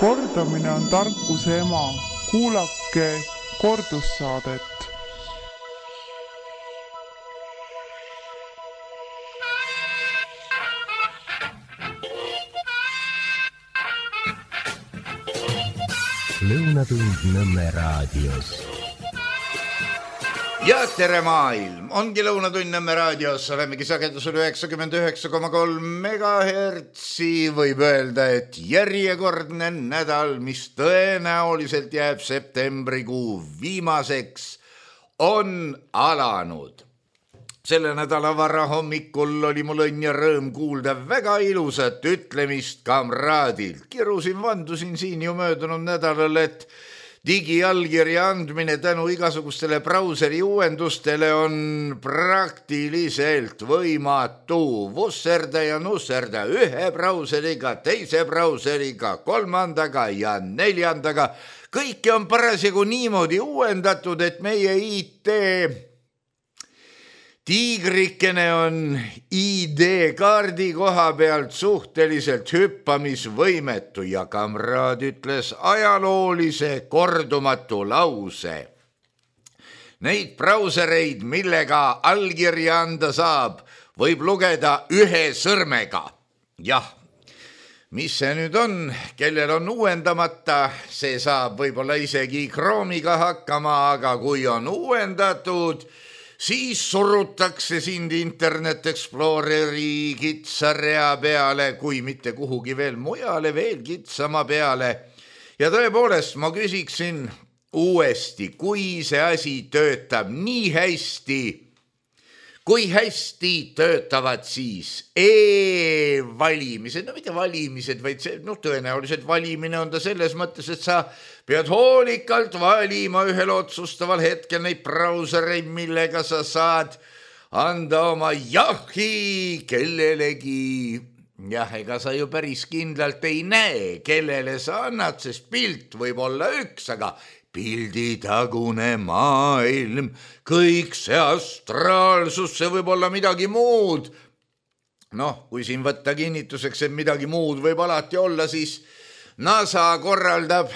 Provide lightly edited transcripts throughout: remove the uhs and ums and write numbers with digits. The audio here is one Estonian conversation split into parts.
Kordamine on tarkuse ema. Kuulake kordussaadet. Lõunatund Nõmme raadios. Ja tere maailm, ongi Lõunatund Nõmme raadios, olemegi sagedusel 99,3 megahertsi, võib öelda, et järjekordne nädal, mis tõenäoliselt jääb septembrikuu viimaseks, on alanud. Selle nädala varahommikul oli mul õnn ja rõõm kuulda väga ilusat ütlemist kamraadilt. Kirusin, vandusin siin ju möödunud nädalal, et digiallkirja andmine tänu igasugustele brauseri uuendustele on praktiliselt võimatu. Vusserda ja nusserda ühe brauseriga, teise brauseriga, kolmandaga ja neljandaga. Kõike on parasjagu niimoodi uuendatud, et meie IT tiigrikene on ID-kaardi koha pealt suhteliselt hüppamisvõimetu ja kamraad ütles ajaloolise kordumatu lause. Neid brausereid, millega allkirja anda saab, võib lugeda ühe sõrmega. Jah, mis see nüüd on, kellel on uuendamata, see saab võib-olla isegi Chrome'iga hakkama, aga kui on uuendatud, siis surutakse sind Internet Exploreri kitsarea peale, kui mitte kuhugi veel mujale, veel kitsama peale. Ja tõepoolest, ma küsiksin uuesti, kui see asi töötab nii hästi, kui hästi töötavad siis e-valimised, no mitte valimised, vaid see, tõenäoliselt valimine on ta selles mõttes, et sa pead hoolikalt valima ühel otsustaval hetkel neid brausereid, millega sa saad anda oma jahi kellelegi. Jah, ega sa ju päris kindlalt ei näe, kellele sa annad, sest pilt võib olla üks, aga pilditagune maailm, kõik see astraalsus, see võib olla midagi muud. Kui siin võtta kinnituseks, et midagi muud võib alati olla, siis NASA korraldab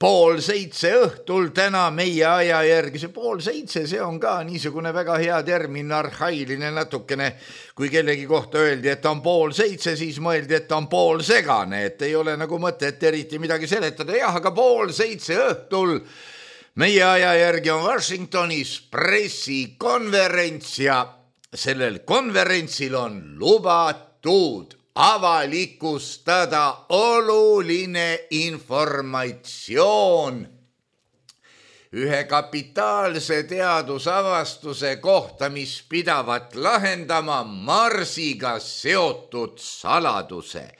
6:30 õhtul täna meie aja järgi. See 6:30, see on ka niisugune väga hea termin, arhailine natukene. Kui kellegi kohta öeldi, et on 6:30, siis mõeldi, et on poolsegane, et ei ole nagu mõtet eriti midagi seletada. Jah, aga 6:30 õhtul meie aja järgi on Washingtonis pressikonverents ja sellel konverentsil on lubatud avalikustada oluline informatsioon ühe kapitaalse teadusavastuse kohta, mis pidavat lahendama Marsiga seotud saladuse.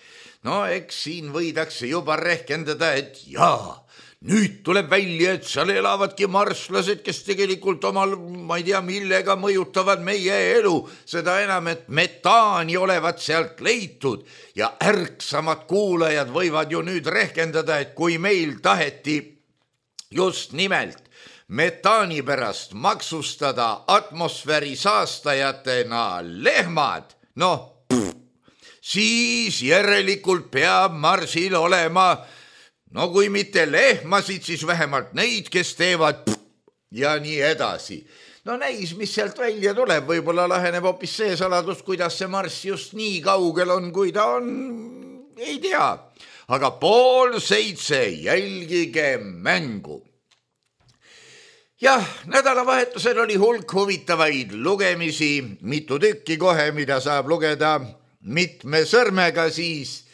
Eks siin võidakse juba rehkendada, et jaa, nüüd tuleb välja, et seal elavadki marslased, kes tegelikult omal, ma ei tea, millega mõjutavad meie elu. Seda enam, et metaani olevat sealt leitud ja ärksamad kuulajad võivad ju nüüd rehkendada, et kui meil taheti just nimelt metaani pärast maksustada atmosfääri saastajatena lehmad, siis järelikult peab Marsil olema kui mitte lehmasid, siis vähemalt neid, kes teevad ja nii edasi. Näis, mis sealt välja tuleb. Võib-olla laheneb hoopis see saladus, kuidas see Marss just nii kaugel on, kui ta on, ei tea. Aga 6:30 jälgige mängu. Jah, nädalavahetusel oli hulk huvitavaid lugemisi, mitu tükki kohe, mida saab lugeda mitme sõrmega siis.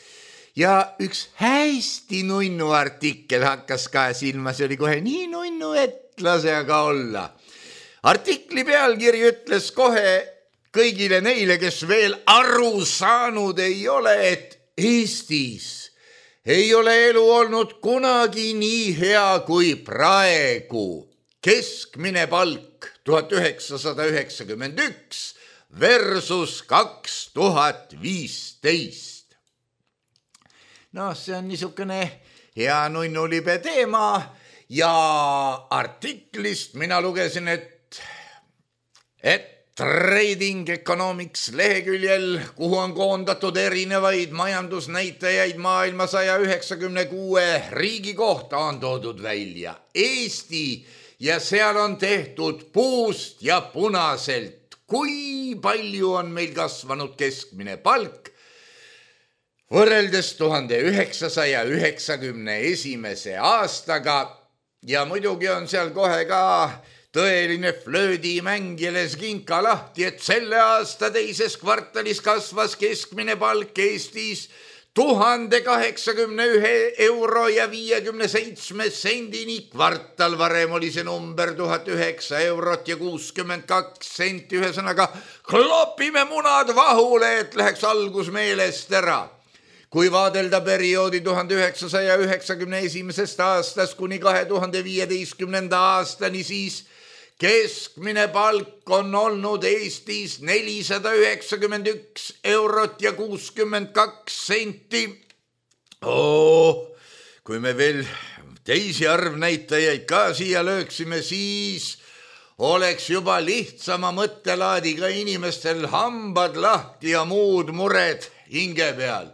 Ja üks hästi nunnu artikkel hakkas ka silma, see oli kohe nii nunnu, et lase aga olla. Artikli pealkiri ütles kohe kõigile neile, kes veel aru saanud ei ole, et Eestis ei ole elu olnud kunagi nii hea kui praegu. Keskmine palk 1991 versus 2015. See on niisugune hea nunnulibe teema ja artiklist mina lugesin, et Trading Economics leheküljel, kuhu on koondatud erinevaid majandusnäitajaid maailma 196 riigi kohta, on toodud välja Eesti ja seal on tehtud puust ja punaselt, kui palju on meil kasvanud keskmine palk võrreldes 1991. aastaga ja muidugi on seal kohe ka tõeline flöödimäng ja leskinka lahti, et selle aasta teises kvartalis kasvas keskmine palk Eestis 1081 euro ja 57 sendini. Kvartal varem oli see number 1009 eurot ja 62 senti. Ühesõnaga, klopime munad vahule, et läheks algus meelest ära. Kui vaadelda perioodi 1991. aastast kuni 2015. aastani, siis keskmine palk on olnud Eestis 491 eurot ja 62 senti. Kui me veel teisi arvnäitajaid ka siia lööksime, siis oleks juba lihtsama mõttelaadiga inimestel hambad lahti ja muud mured hinge peal.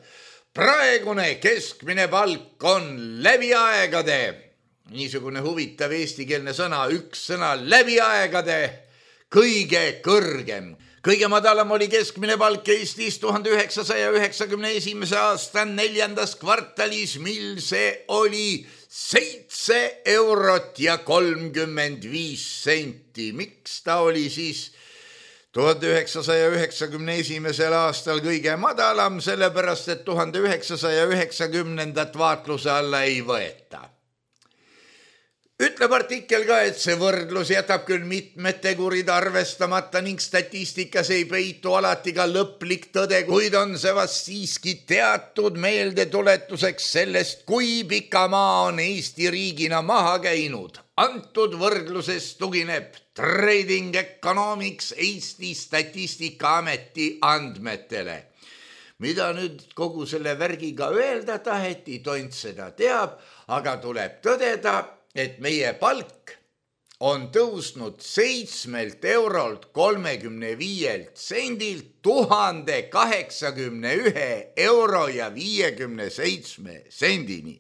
Praegune keskmine palk on läbi aegade, niisugune huvitav eestikeelne sõna, üks sõna, läbi aegade kõige kõrgem. Kõige madalam oli keskmine palk Eestis 1991. aasta 4. kvartalis, mil see oli 7 eurot ja 35 senti. Miks ta oli siis 1991. aastal kõige madalam? Sellepärast, et 1990. vaatluse alla ei võeta. Ütleb artikkel ka, et see võrdlus jätab küll mitmed tegurid arvestamata ning statistikas ei peitu alati ka lõplik tõde, kuid on see vast siiski teatud meeldetuletuseks sellest, kui pika maa on Eesti riigina maha käinud. Antud võrdluses tugineb Trading Economics Eesti Statistikaameti andmetele. Mida nüüd kogu selle värgiga öelda taheti, tont seda teab, aga tuleb tõdeda, et meie palk on tõusnud 7 eurolt 35 sendilt 1081 euro ja 57 sendini.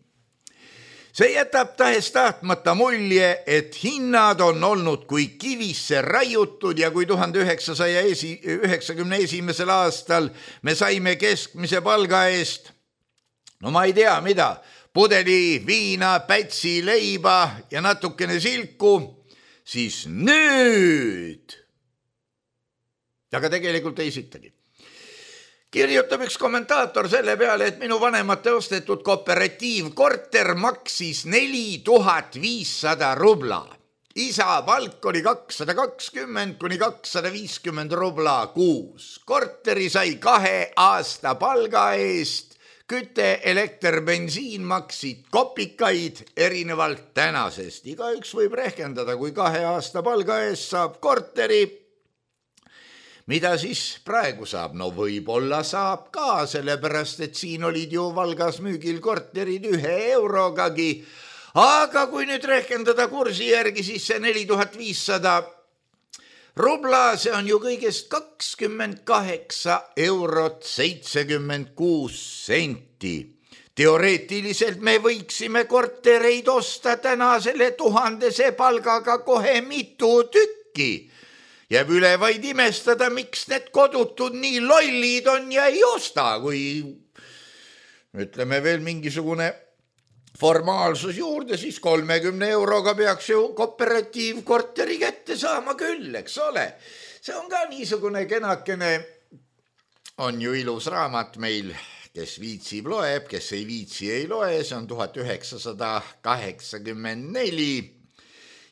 See jätab tahes tahtmata mulje, et hinnad on olnud kui kivisse raiutud ja kui 1991. aastal me saime keskmise palga eest, no ma ei tea mida, pudeli viina, pätsi leiba ja natukene silku, siis nüüd, aga tegelikult ei sittagi. Kirjutab üks kommentaator selle peale, et minu vanemate ostetud kooperatiivkorter maksis 4500 rubla. Isa palk oli 220 kuni 250 rubla kuus. Korteri sai 2 aasta palga eest. Küte, elekter, bensiin maksid kopikaid erinevalt tänasest. Igaüks võib rehkendada, kui 2 aasta palga eest saab korteri. Mida siis praegu saab? No võib-olla saab ka, sellepärast, et siin olid ju Valgas müügil korterid 1 eurogagi. Aga kui nüüd rehkendada kursi järgi, siis see 4500 rubla, see on ju kõigest 28 eurot 76 senti. Teoreetiliselt me võiksime kortereid osta täna selle 1000 palgaga kohe mitu tükki. Jääb üle vaid imestada, miks need kodutud nii lollid on ja ei osta, kui ütleme veel mingisugune formaalsus juurde, siis 30 euroga peaks ju kooperatiivkorteri kätte saama küll, eks ole. See on ka niisugune kenakene, on ju ilus raamat meil, kes viitsib loeb, kes ei viitsi ei loe, see on 1984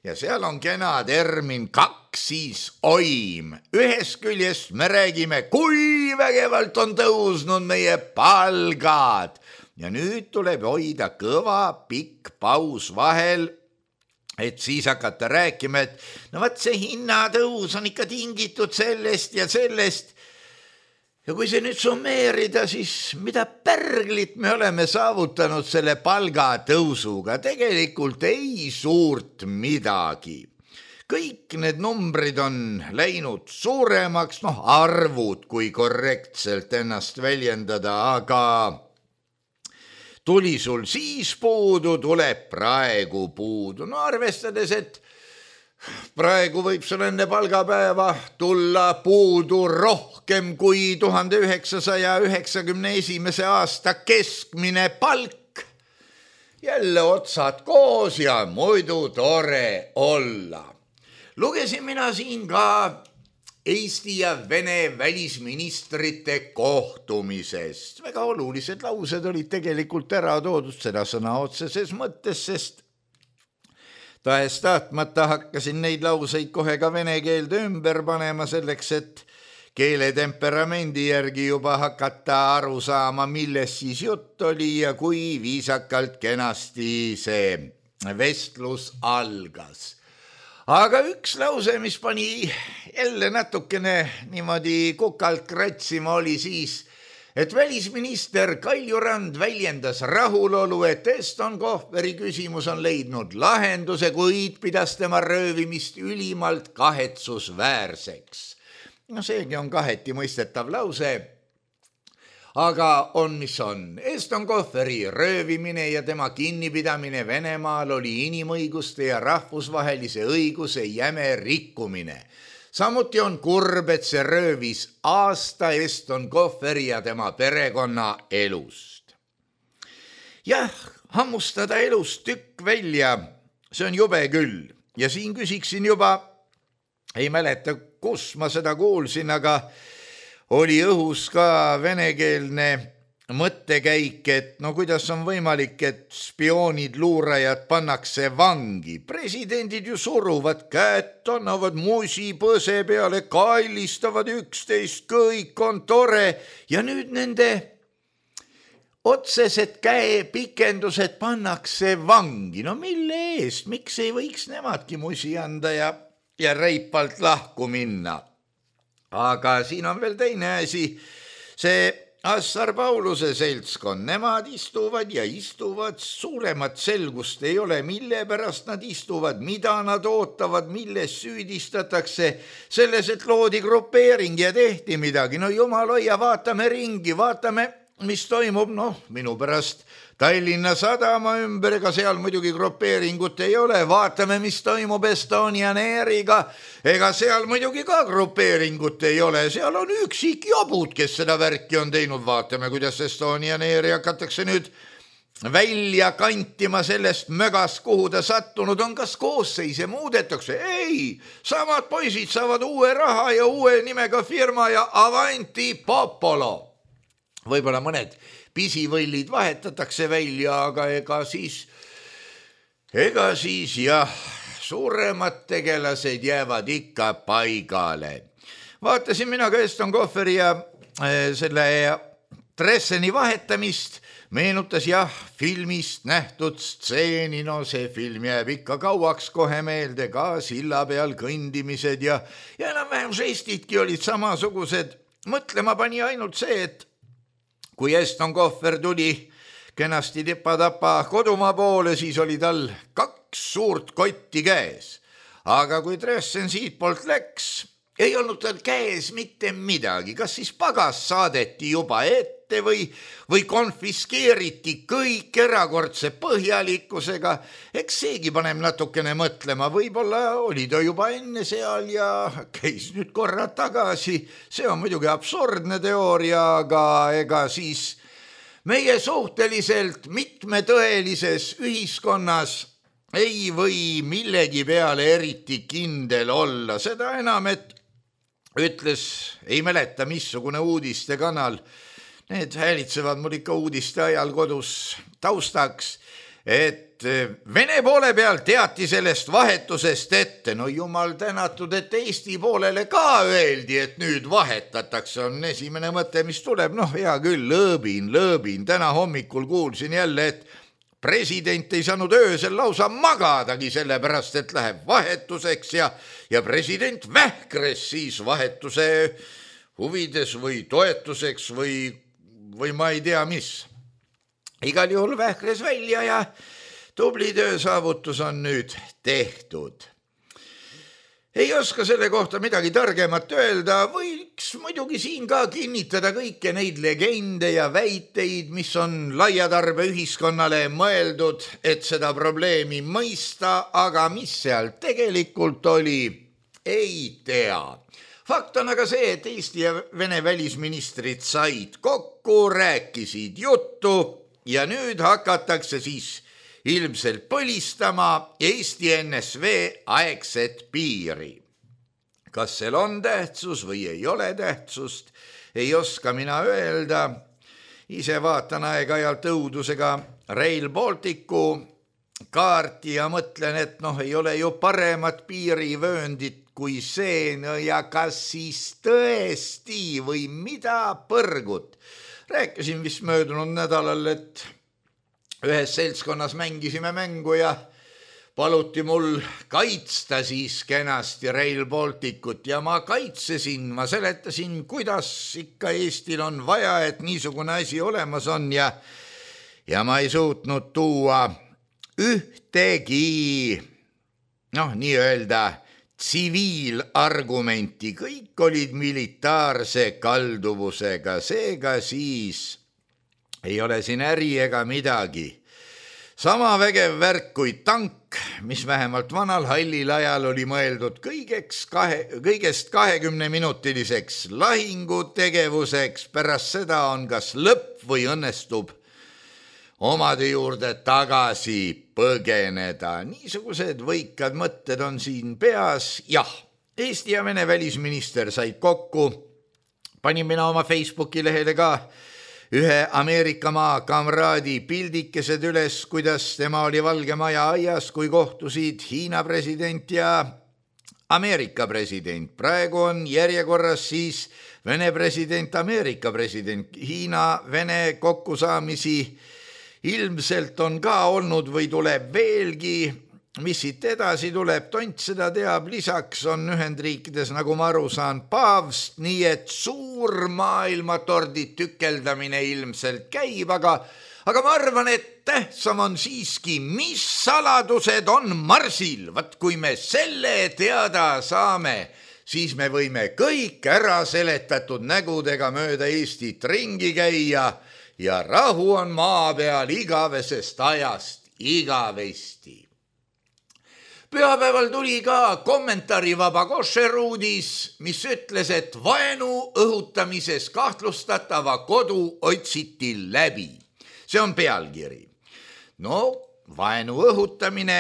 ja seal on kena termin kaksisoim. Ühest küljest me räägime, kui vägevalt on tõusnud meie palgad. Ja nüüd tuleb hoida kõva pikk paus vahel, et siis hakata rääkima, et no vaat see hinnatõus on ikka tingitud sellest ja sellest. Ja kui see nüüd summeerida, siis mida pärglit me oleme saavutanud selle palgatõusuga? Tegelikult ei suurt midagi. kõik need numbrid on läinud suuremaks, arvud, kui korrektselt ennast väljendada, aga tuli sul siis puudu, tuleb praegu puudu. Arvestades, et praegu võib sul enne palgapäeva tulla puudu rohkem kui 1991. aasta keskmine palk. Jälle otsad koos ja muidu tore olla. Lugesin mina siin ka Eesti ja Vene välisministrite kohtumisest. Väga olulised laused olid tegelikult ära toodud seda sõna otseses mõttes, sest tahes tahtmata hakkasin neid lauseid kohe ka vene keelde ümber panema selleks, et keele temperamendi järgi juba hakata aru saama, milles siis jutt oli ja kui viisakalt kenasti see vestlus algas. Aga üks lause, mis pani jälle natukene niimoodi kukalt kratsima, oli siis, et välisminister Kaljurand väljendas rahulolu, et Eston Kohveri küsimus on leidnud lahenduse, kuid pidas tema röövimist ülimalt kahetsusväärseks. Seegi on kaheti mõistetav lause, aga on mis on. Eston Kohveri röövimine ja tema kinnipidamine Venemaal oli inimõiguste ja rahvusvahelise õiguse jäme rikkumine. Samuti on kurb, et see röövis aasta Eston Kohveri ja tema perekonna elust. Jah, hammustada elust tükk välja, see on jube küll. Ja siin küsiksin juba, ei mäleta, kus ma seda kuulsin, aga oli õhus ka venekeelne mõttekäik, et kuidas on võimalik, et spioonid, luurajad pannakse vangi. Presidendid ju suruvad käed, annavad musi põse peale, kailistavad üksteist, kõik on tore ja nüüd nende otsesed käepikendused pannakse vangi. Mille eest? Miks ei võiks nemadki musi anda ja reipalt lahku minna? Aga siin on veel teine asi, see Assar Pauluse seltskond, nemad istuvad ja istuvad, suuremat selgust ei ole, mille pärast nad istuvad, mida nad ootavad, milles süüdistatakse, selles, et loodi grupeering ja tehti midagi. Jumal hoia, vaatame ringi, vaatame, mis toimub, minu pärast Tallinna Sadama ümber, ega seal muidugi grupeeringut ei ole, vaatame, mis toimub Estonian Airiga, ega seal muidugi ka grupeeringut ei ole, seal on üksik jobud, kes seda värki on teinud, vaatame, kuidas Estonian Airi hakatakse nüüd välja kantima sellest mögast, kuhu ta sattunud on, kas koosseise muudetakse? Ei, samad poisid saavad uue raha ja uue nimega firma ja avanti popolo. Võib-olla mõned pisivõllid vahetatakse välja, aga ega siis jah, suuremad tegelased jäävad ikka paigale. Vaatasin mina ka Eston Kohveri ja selle Dresseni vahetamist, meenutas jah filmist nähtud stseeni, see film jääb ikka kauaks kohe meelde, ka silla peal kõndimised ja enam-vähem žestidki olid samasugused. Mõtlema pani ainult see, et kui Eston Kohver tuli kenasti tipa-tapa kodumaa poole, siis oli tal 2 suurt kotti käes. Aga kui Dressen siit poolt läks, ei olnud tal käes mitte midagi. Kas siis pagas saadeti juba ette või konfiskeeriti kõik erakordse põhjalikkusega? Eks seegi paneb natukene mõtlema. Võib-olla oli ta juba enne seal ja käis nüüd korra tagasi. See on muidugi absurdne teooria, aga ega siis meie suhteliselt mitmetõelises ühiskonnas ei või millegi peale eriti kindel olla. Seda enam, et ütles, ei mäleta, missugune uudistekanal, need häälitsevad mul ikka uudiste ajal kodus taustaks, et Vene poole peal teati sellest vahetusest ette. Jumal tänatud, et Eesti poolele ka öeldi, et nüüd vahetatakse, on esimene mõte, mis tuleb. Hea küll, lõõbin. Täna hommikul kuulsin jälle, et president ei saanud öösel lausa magadagi sellepärast, et läheb vahetuseks ja president vähkres siis vahetuse huvides või toetuseks või ma ei tea mis. Igal juhul vähkres välja ja tubli töösaavutus on nüüd tehtud. Ei oska selle kohta midagi targemat öelda, võiks muidugi siin ka kinnitada kõiki neid legende ja väiteid, mis on laiatarbe ühiskonnale mõeldud, et seda probleemi mõista, aga mis seal tegelikult oli, ei tea. Fakt on aga see, et Eesti ja Vene välisministrid said kokku, rääkisid juttu ja nüüd hakatakse siis ilmselt põlistama Eesti NSV aegset piiri. Kas seal on tähtsus või ei ole tähtsust, ei oska mina öelda. Ise vaatan aeg-ajalt õudusega Rail Balticu kaarti ja mõtlen, et ei ole ju paremat piirivööndit kui see, ja kas siis tõesti või mida põrgut. Rääkisin vist möödunud nädalal, et ühes seltskonnas mängisime mängu ja paluti mul kaitsta siis kenasti Rail Balticut ja ma kaitsesin, ma seletasin, kuidas ikka Eestil on vaja, et niisugune asi olemas on ja ma ei suutnud tuua ühtegi, nii-öelda tsiviilargumenti, kõik olid militaarse kalduvusega, seega siis ei ole siin äri ega midagi. Sama vägev värk kui tank, mis vähemalt vanal hallil ajal oli mõeldud kõigest 20-minutiliseks lahingutegevuseks, pärast seda on kas lõpp või õnnestub omade juurde tagasi põgeneda. Niisugused võikad mõtted on siin peas. Jah, Eesti ja Vene välisminister said kokku. Panin mina oma Facebooki lehele ka ühe Ameerika maa kamraadi pildikesed üles, kuidas tema oli Valge Maja aias, kui kohtusid Hiina president ja Ameerika president. Praegu on järjekorras siis Vene president, Ameerika president. Hiina-Vene kokkusaamisi ilmselt on ka olnud või tuleb veelgi. Mis siit edasi tuleb, tont seda teab. Lisaks on Ühendriikides, nagu ma aru saan, paavst, nii et suur maailmatordi tükeldamine ilmselt käib, aga ma arvan, et tähtsam on siiski, mis saladused on Marsil. Vaat kui me selle teada saame, siis me võime kõik ära seletatud nägudega mööda Eestit ringi käia ja rahu on maa peal igavesest ajast igavesti. Pühapäeval tuli ka kommentaarivaba košeruudis, mis ütles, et vaenu õhutamises kahtlustatava kodu otsiti läbi. See on pealkiri. Vaenu õhutamine,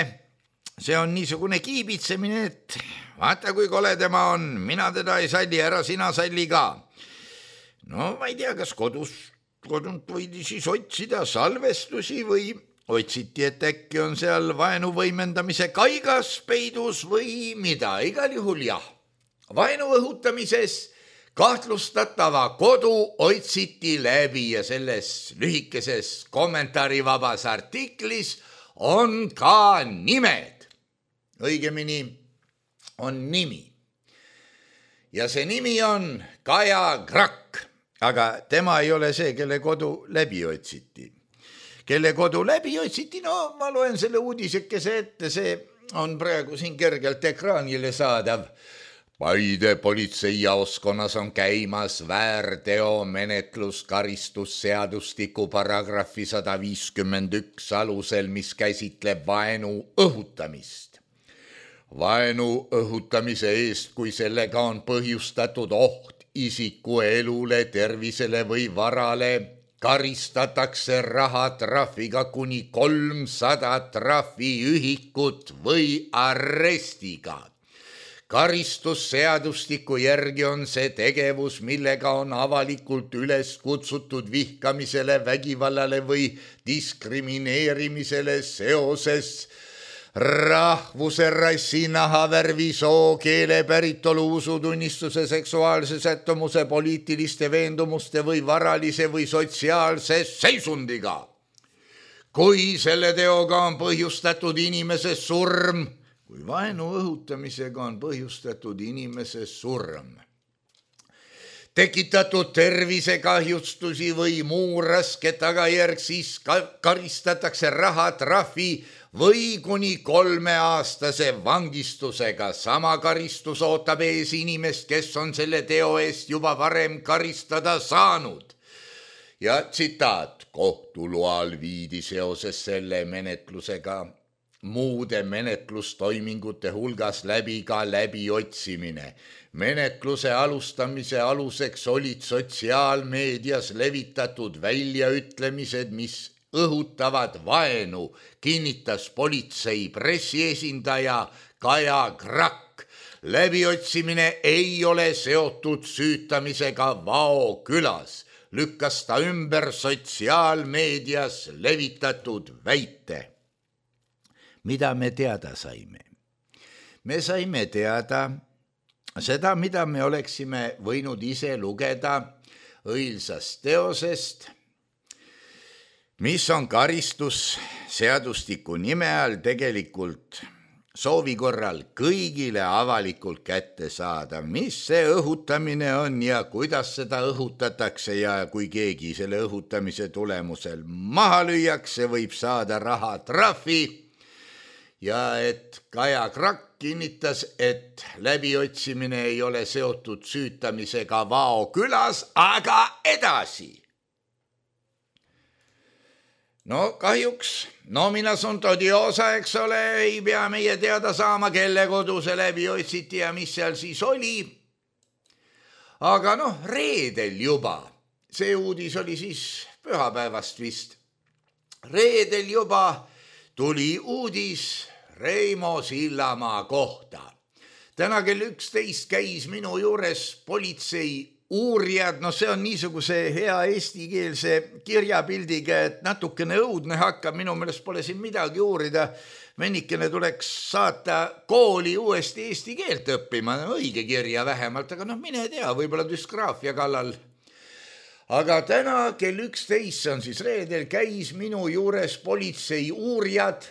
see on niisugune kiibitsemine, et vaata kui kole tema on, mina teda ei salli, ära sina salli ka. Ma ei tea, kas kodunt võidi siis otsida salvestusi või otsiti, et äkki on seal vaenu võimendamise kaigas peidus või mida. Igal juhul jah. Vaenu õhutamises kahtlustatava kodu otsiti läbi ja selles lühikeses kommentaarivabas artiklis on ka nimed. Õigemini on nimi. Ja see nimi on Kaja Krakk, aga tema ei ole see, kelle kodu läbi otsiti. Kelle kodu läbi otsiti, ma loen selle uudisekese ette, see on praegu siin kergelt ekraanile saadav. Paide politseijaoskonnas on käimas väärteomenetlus karistusseadustiku paragrahvi 151 alusel, mis käsitleb vaenu õhutamist. Vaenu õhutamise eest, kui sellega on põhjustatud oht isiku elule, tervisele või varale, karistatakse rahatrahviga kuni 300 trahviühikut või arrestiga. Karistusseadustiku järgi on see tegevus, millega on avalikult üles kutsutud vihkamisele, vägivallale või diskrimineerimisele seoses rahvuse, rassi, nahavärvi, soo, keele, päritolu, usutunnistuse, seksuaalse sättumuse, poliitiliste veendumuste või varalise või sotsiaalse seisundiga. Kui selle teoga on põhjustatud inimese surm, kui vaenu õhutamisega on põhjustatud inimese surm. tekitatud tervisekahjustusi või muu raske tagajärg, siis karistatakse rahatrahvi või kuni 3-aastase vangistusega. Sama karistus ootab ees inimest, kes on selle teo eest juba varem karistada saanud. Ja tsitaat: kohtu loal viidi seoses selle menetlusega muude menetlustoimingute hulgas läbi ka läbiotsimine. Menetluse alustamise aluseks olid sotsiaalmeedias levitatud väljaütlemised, mis õhutavad vaenu, kinnitas politsei pressiesindaja Kaja Krakk. Läbiotsimine ei ole seotud süütamisega Vao külas, lükkas ta ümber sotsiaalmeedias levitatud väite. Mida me teada saime? Me saime teada seda, mida me oleksime võinud ise lugeda õilsast teosest, mis on karistusseadustiku nime all tegelikult soovi korral kõigile avalikult kätte saada, mis see õhutamine on ja kuidas seda õhutatakse ja kui keegi selle õhutamise tulemusel maha lüüakse, võib saada rahatrahvi. Ja et Kaja Krakk kinnitas, et läbiotsimine ei ole seotud süütamisega Vao külas, aga edasi. No kahjuks nomina sunt odiosa, eks ole, ei pea meie teada saama, kelle kodu see läbi otsiti ja mis seal siis oli. Aga reedel juba, see uudis oli siis pühapäevast vist, reedel juba tuli uudis Reimo Sillamaa kohta. Täna kell 11 käis minu juures politsei uurijad, see on niisuguse hea eestikeelse kirjapildiga, et natukene õudne hakkab, minu meelest pole siin midagi uurida. Vennikene tuleks saata kooli uuesti eesti keelt õppima, õige kirja vähemalt, aga mine tea, võib-olla düsgraafia kallal. Aga täna kell 11, on siis reedel, käis minu juures politsei uurijad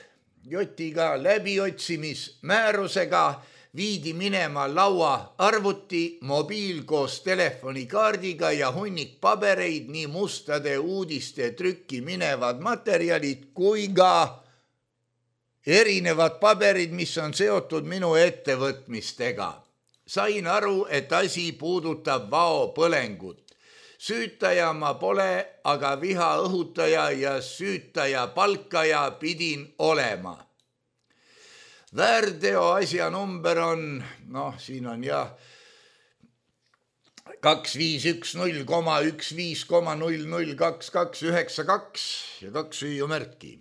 Jotiga läbiotsimismäärusega, viidi minema laua arvuti, mobiil koos telefonikaardiga ja hunnik pabereid, nii mustade uudiste trükki minevad materjalid kui ka erinevad paberid, mis on seotud minu ettevõtmistega. Sain aru, et asi puudutab Vao põlengut. Süütaja ma pole, aga viha õhutaja ja süütaja palkaja pidin olema. Väärteo asja number on, siin on 2510,15,002292 ja 2 hüüumärki.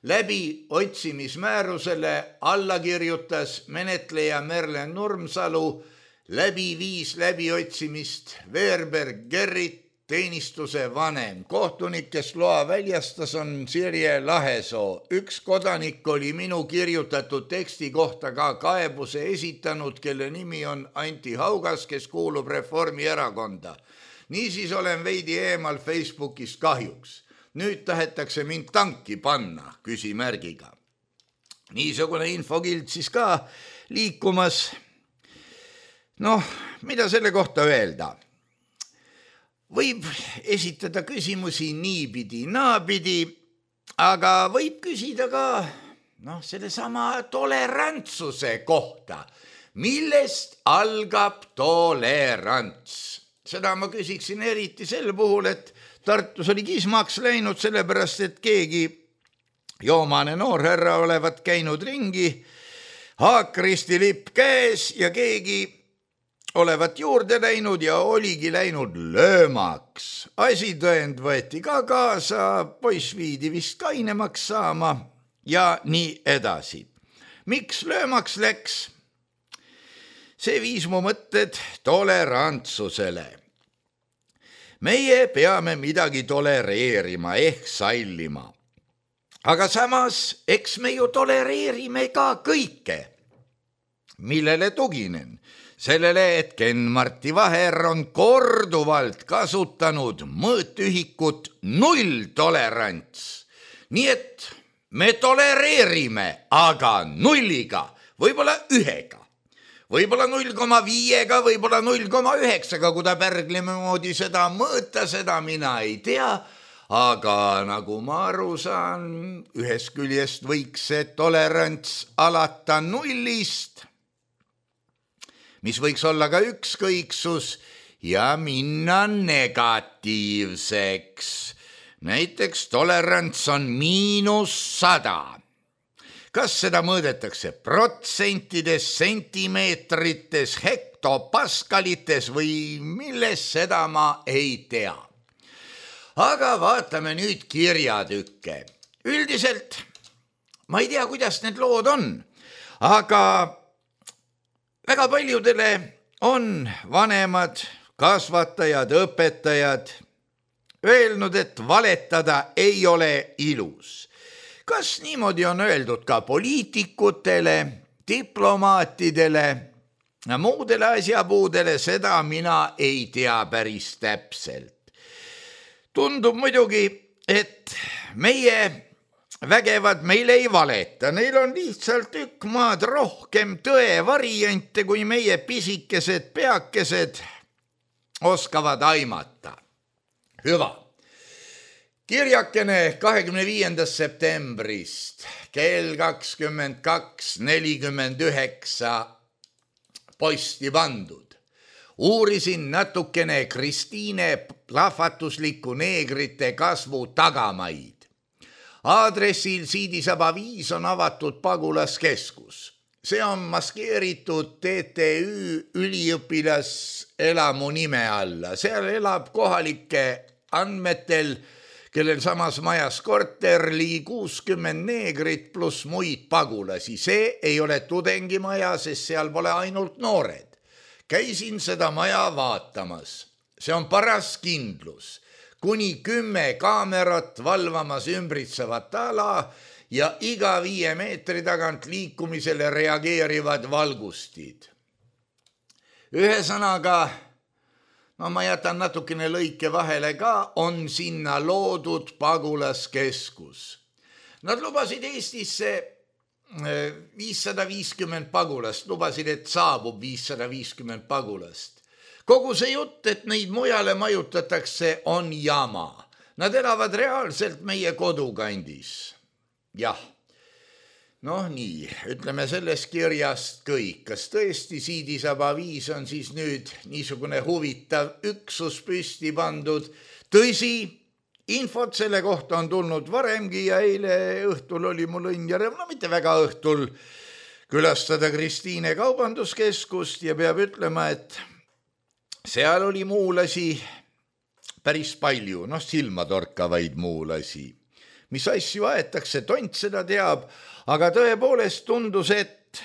Läbiotsimismäärusele alla kirjutas menetleja Merlen Nurmsalu, läbi viis läbiotsimist Veerberg Gerrit, teenistuse vanem. Kohtunik, kes loa väljastas, on Sirje Lahesoo. Üks kodanik oli minu kirjutatud teksti kohta ka kaebuse esitanud, kelle nimi on Anti Haugas, kes kuulub Reformierakonda. Niisiis olen veidi eemal Facebookist kahjuks. Nüüd tahetakse mind tanki panna, küsimärgiga. Niisugune infokild siis ka liikumas. Mida selle kohta öelda? Võib esitada küsimusi niipidi, naapidi, aga võib küsida ka selle sama tolerantsuse kohta. Millest algab tolerants? Seda ma küsiksin eriti sel puhul, et Tartus oli kismaks läinud, sellepärast et keegi joomane noorherra olevat käinud ringi, haakristi lipp käes ja keegi olevat juurde läinud ja oligi läinud löömaks. Asitõend võeti ka kaasa, poiss viidi vist kainemaks saama ja nii edasi. Miks löömaks läks? See viis mu mõtted tolerantsusele. Meie peame midagi tolereerima ehk sallima. Aga samas, eks me ju tolereerime ka kõike. Millele tuginen? Sellele, et Ken-Marti Vaher on korduvalt kasutanud mõõtühikut 0 tolerants. Nii et me tolereerime, aga 0-ga, võib-olla 1-ga. võib-olla 0,5-ga, võib-olla 0,9-ga, kui ta pärglime moodi seda mõõta, seda mina ei tea, aga nagu ma aru saan, ühest küljest võiks see tolerants alata 0-st, mis võiks olla ka ükskõiksus ja minna negatiivseks. Näiteks tolerants on -100. Kas seda mõõdetakse protsentides, sentimeetrites, hektopaskalites või milles, seda ma ei tea. Aga vaatame nüüd kirjatükke. Üldiselt ma ei tea, kuidas need lood on, aga väga paljudele on vanemad, kasvatajad, õpetajad öelnud, et valetada ei ole ilus. Kas niimoodi on öeldud ka poliitikutele, diplomaatidele ja muudele asjapuudele, seda mina ei tea päris täpselt. Tundub muidugi, et meie vägevad meil ei valeta, neil on lihtsalt tükk maad rohkem tõe variante, kui meie pisikesed peakesed oskavad aimata. Hüva. Kirjakene 25. septembrist kell 22:49 posti pandud. Uurisin natukene Kristiine plahvatusliku neegrite kasvu tagamaid. Aadressil Siidisaba 5 on avatud pagulaskeskus. See on maskeeritud TTÜ üliõpilaselamu nime alla. Seal elab kohalike andmetel, kellel samas majas korter, ligi 60 neegrit pluss muid pagulasi. See ei ole tudengimaja, sest seal pole ainult noored. Käisin seda maja vaatamas. See on paras kindlus. Kuni 10 kaamerat valvamas ümbritsevat ala ja iga 5 meetri tagant liikumisele reageerivad valgustid. Ühesõnaga, ma jätan natukene lõike vahele ka, on sinna loodud pagulaskeskus. Nad lubasid Eestisse 550 pagulast, lubasid, et saabub 550 pagulast. Kogu see jutt, et neid mujale majutatakse, on jama. Nad elavad reaalselt meie kodukandis. Jah, nii, ütleme sellest kirjast kõik. Kas tõesti Siidisaba 5 on siis nüüd niisugune huvitav üksus püsti pandud? Tõsi, infot selle kohta on tulnud varemgi ja eile õhtul oli mul õnn ja rõõm, mitte väga õhtul, külastada Kristiine kaubanduskeskust ja peab ütlema, et seal oli muulasi päris palju, silmatorkavaid muulasi. Mis asju aetakse, tont seda teab, aga tõepoolest tundus, et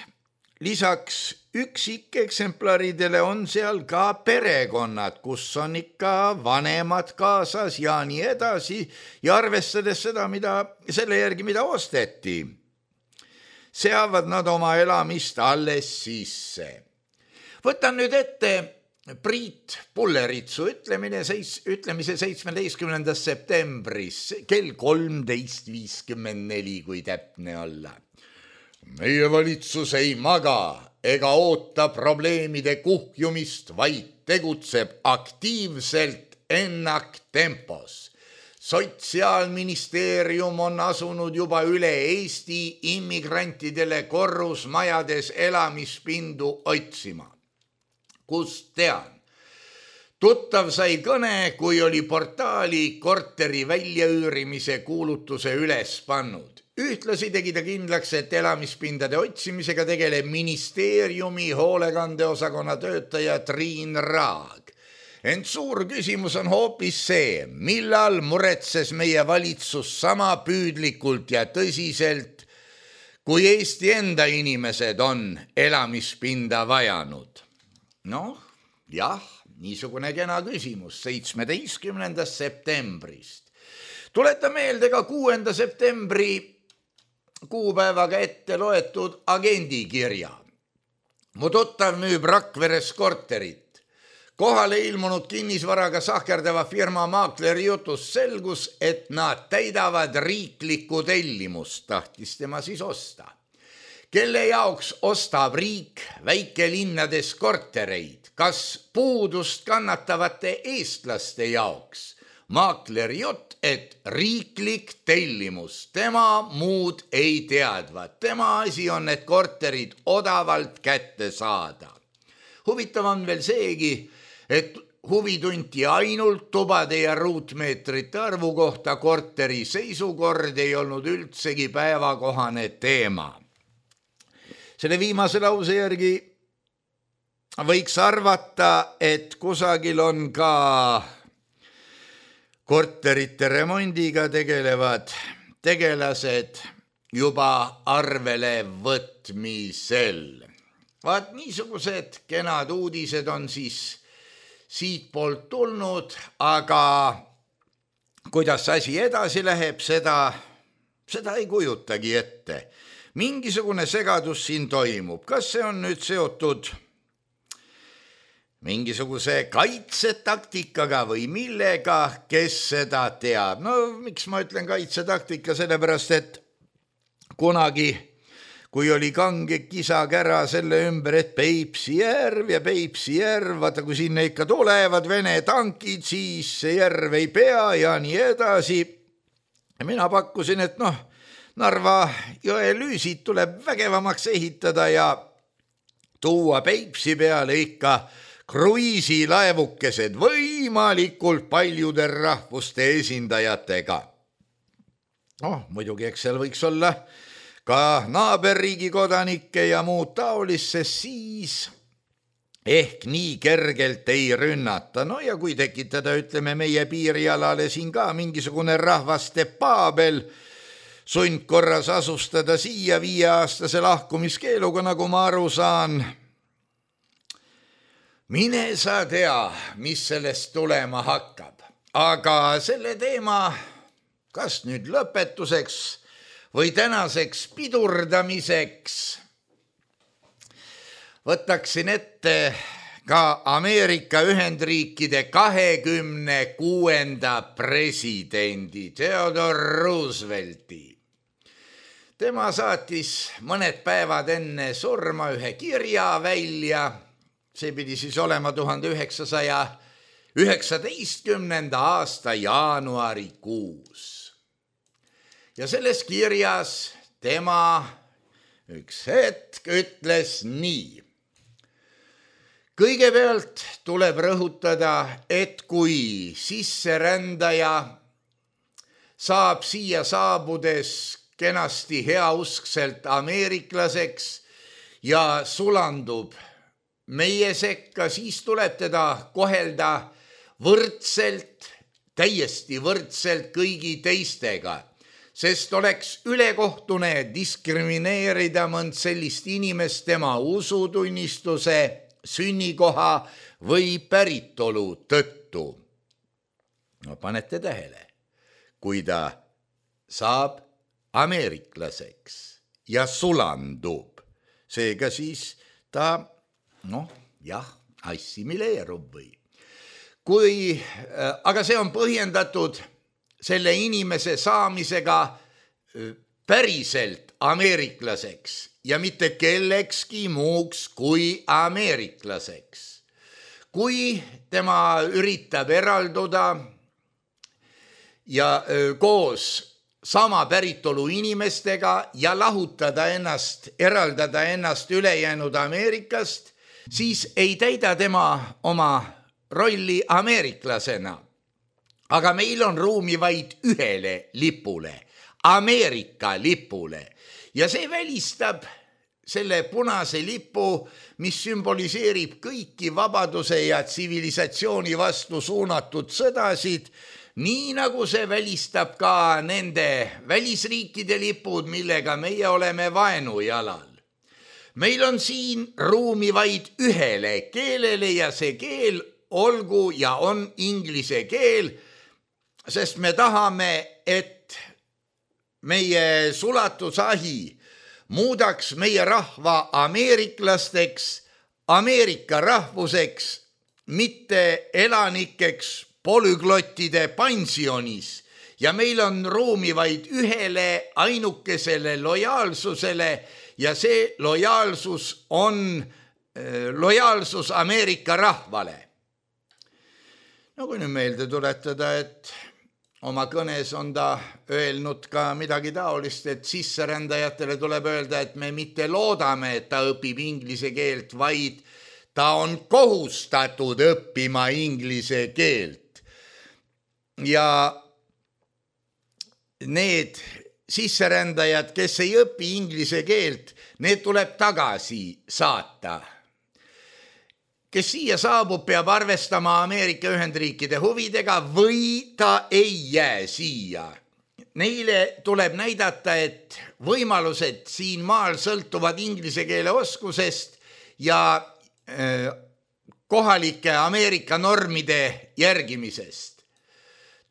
lisaks üksikeksemplaridele on seal ka perekonnad, kus on ikka vanemad kaasas ja nii edasi ja arvestades seda, selle järgi, mida osteti, seavad nad oma elamist alles sisse. Võtan nüüd ette Priit Pulleritsu ütlemise 17. septembris kell 13:54, kui täpne olla. Meie valitsus ei maga ega oota probleemide kuhjumist, vaid tegutseb aktiivselt ennaktempos. Sotsiaalministeerium on asunud juba üle Eesti immigrantidele korrusmajades elamispindu otsima. Kust tean? Tuttav sai kõne, kui oli portaali korteri väljaüürimise kuulutuse üles pannud. Ühtlasi tegi ta kindlaks, et elamispindade otsimisega tegeleb ministeeriumi hoolekandeosakonna töötaja Triin Raag. Ent suur küsimus on hoopis see, millal muretses meie valitsus sama püüdlikult ja tõsiselt, kui Eesti enda inimesed on elamispinda vajanud. Jah, niisugune kena küsimus 17. septembrist. Tuleta meelde ka 6. septembri kuupäevaga ette loetud agendikirja. Mu tuttav müüb Rakveres korterit. Kohale ilmunud kinnisvaraga sahkerdava firma maakleri jutust selgus, et nad täidavad riiklikku tellimust, tahtis tema siis osta. kelle jaoks ostab riik väikelinnades kortereid, kas puudust kannatavate eestlaste jaoks. Maakler jutt, et riiklik tellimus, tema muud ei teadva. Tema asi on need korterid odavalt kätte saada. Huvitav on veel seegi, et huvi tunti ainult tubade ja ruutmeetrite arvu kohta, korteri seisukord ei olnud üldsegi päevakohane teema. Selle viimase lause järgi võiks arvata, et kusagil on ka korterite remondiga tegelevad tegelased juba arvele võtmisel. Vaat niisugused kenad uudised on siis siit poolt tulnud, aga kuidas asi edasi läheb, seda ei kujutagi ette. Mingisugune segadus siin toimub. Kas see on nüüd seotud mingisuguse kaitsetaktikaga või millega, kes seda teab? No miks ma ütlen kaitsetaktika? Sellepärast, et kunagi, kui oli kange kisakära selle ümber, et Peipsi järv ja Peipsi järv, vaata kui sinna ikka tulevad Vene tankid, siis see järv ei pea ja nii edasi. Ja mina pakkusin, et Narva jõe lüüsid tuleb vägevamaks ehitada ja tuua Peipsi peale ikka kruiisilaevukesed võimalikult paljude rahvuste esindajatega. Muidugi, eks seal võiks olla ka naaberriigi kodanikke ja muud taolist, siis ehk nii kergelt ei rünnata. Ja kui tekitada, ütleme, meie piirialale siin ka mingisugune rahvaste paabel, sundkorras asustada siia 5-aastase lahkumiskeeluga, nagu ma aru saan, mine sa tea, mis sellest tulema hakkab. Aga selle teema, kas nüüd lõpetuseks või tänaseks pidurdamiseks, võtaksin ette ka Ameerika Ühendriikide 26. presidendi Theodore Roosevelti. Tema saatis mõned päevad enne surma ühe kirja välja. See pidi siis olema 1919. aasta jaanuarikuus. Ja selles kirjas tema üks hetk ütles nii. Kõigepealt tuleb rõhutada, et kui sisserändaja saab siia saabudes kenasti heauskselt ameeriklaseks ja sulandub meie sekka, siis tuleb teda kohelda võrdselt, täiesti võrdselt kõigi teistega, sest oleks ülekohtune diskrimineerida mõnd sellist inimest tema usutunnistuse, sünnikoha või päritolu tõttu. Panete tähele, kui ta saab ameeriklaseks ja sulandub, seega siis ta assimileerub või. Aga see on põhjendatud selle inimese saamisega päriselt ameeriklaseks ja mitte kellekski muuks kui ameeriklaseks. Kui tema üritab eralduda ja koos sama päritolu inimestega ja eraldada ennast ülejäänud Ameerikast, siis ei täida tema oma rolli ameeriklasena. Aga meil on ruumi vaid ühele lipule, Ameerika lipule. Ja see välistab selle punase lipu, mis sümboliseerib kõiki vabaduse ja tsivilisatsiooni vastu suunatud sõdasid, nii nagu see välistab ka nende välisriikide lipud, millega meie oleme vaenujalal. Meil on siin ruumi vaid ühele keelele ja see keel olgu ja on inglise keel, sest me tahame, et meie sulatusahi muudaks meie rahva ameeriklasteks, Ameerika rahvuseks, mitte elanikeks polüglottide pensionis. Ja meil on ruumi vaid ühele ainukesele lojaalsusele ja see lojaalsus on lojaalsus Ameerika rahvale. No kui nüüd meelde tuletada, et oma kõnes on ta öelnud ka midagi taolist, et sisserändajatele tuleb öelda, et me mitte loodame, et ta õpib inglise keelt, vaid ta on kohustatud õppima inglise keelt. Ja need sisserändajad, kes ei õpi inglise keelt, need tuleb tagasi saata. Kes siia saabub, peab arvestama Ameerika Ühendriikide huvidega või ta ei jää siia. Neile tuleb näidata, et võimalused siin maal sõltuvad inglise keele oskusest ja kohalike Ameerika normide järgimisest.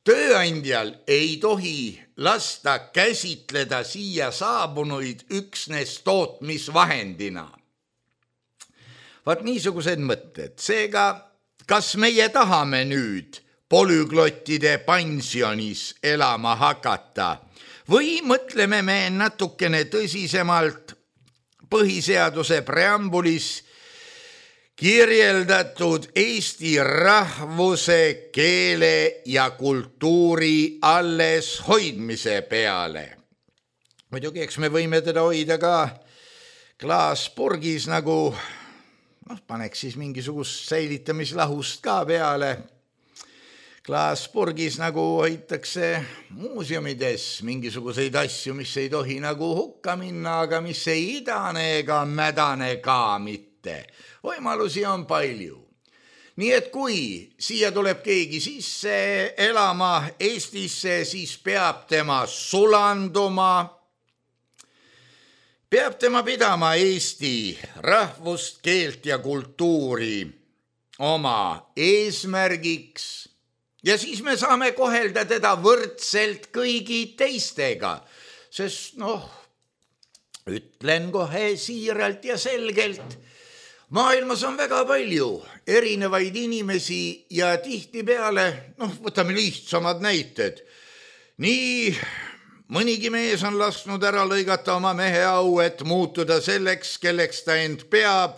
Tööandjal ei tohi lasta käsitleda siia saabunuid üksnes tootmisvahendina. Vaat niisugused mõtted. Seega, kas meie tahame nüüd polüglottide pensionis elama hakata või mõtleme me natukene tõsisemalt põhiseaduse preambulis kirjeldatud Eesti rahvuse, keele ja kultuuri alles hoidmise peale. Muidugi, eks me võime teda hoida ka klaaspurgis nagu paneks siis mingisugust säilitamislahust ka peale. Klaaspurgis nagu hoitakse muuseumides mingisuguseid asju, mis ei tohi nagu hukka minna, aga mis ei idane ega mädane ka mitte. Võimalusi on palju. Nii et kui siia tuleb keegi sisse elama Eestisse, siis peab tema sulanduma, peab tema pidama Eesti rahvust, keelt ja kultuuri oma eesmärgiks ja siis me saame kohelda teda võrdselt kõigi teistega, sest ütlen kohe siiralt ja selgelt, maailmas on väga palju erinevaid inimesi ja tihtipeale, võtame lihtsamad näited, nii mõnigi mees on lasknud ära lõigata oma mehe au, et muutuda selleks, kelleks ta end peab,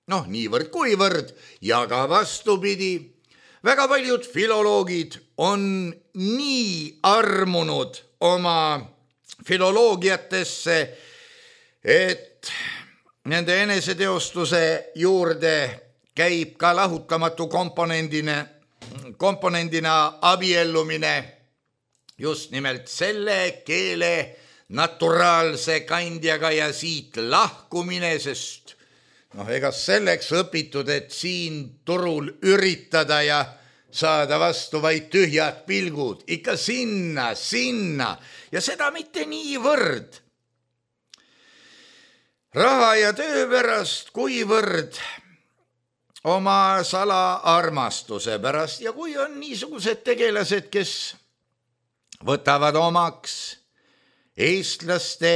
niivõrd kuivõrd, ja ka vastupidi. Väga paljud filoloogid on nii armunud oma filoloogiatesse, et nende eneseteostuse juurde käib ka lahutamatu komponendina abiellumine just nimelt selle keele naturaalse kandjaga ja siit lahkumine, sest ega selleks õpitud, et siin turul üritada ja saada vastu vaid tühjad pilgud, ikka sinna ja seda mitte niivõrd raha ja töö pärast, kuivõrd oma salaarmastuse pärast ja kui on niisugused tegelased, kes võtavad omaks eestlaste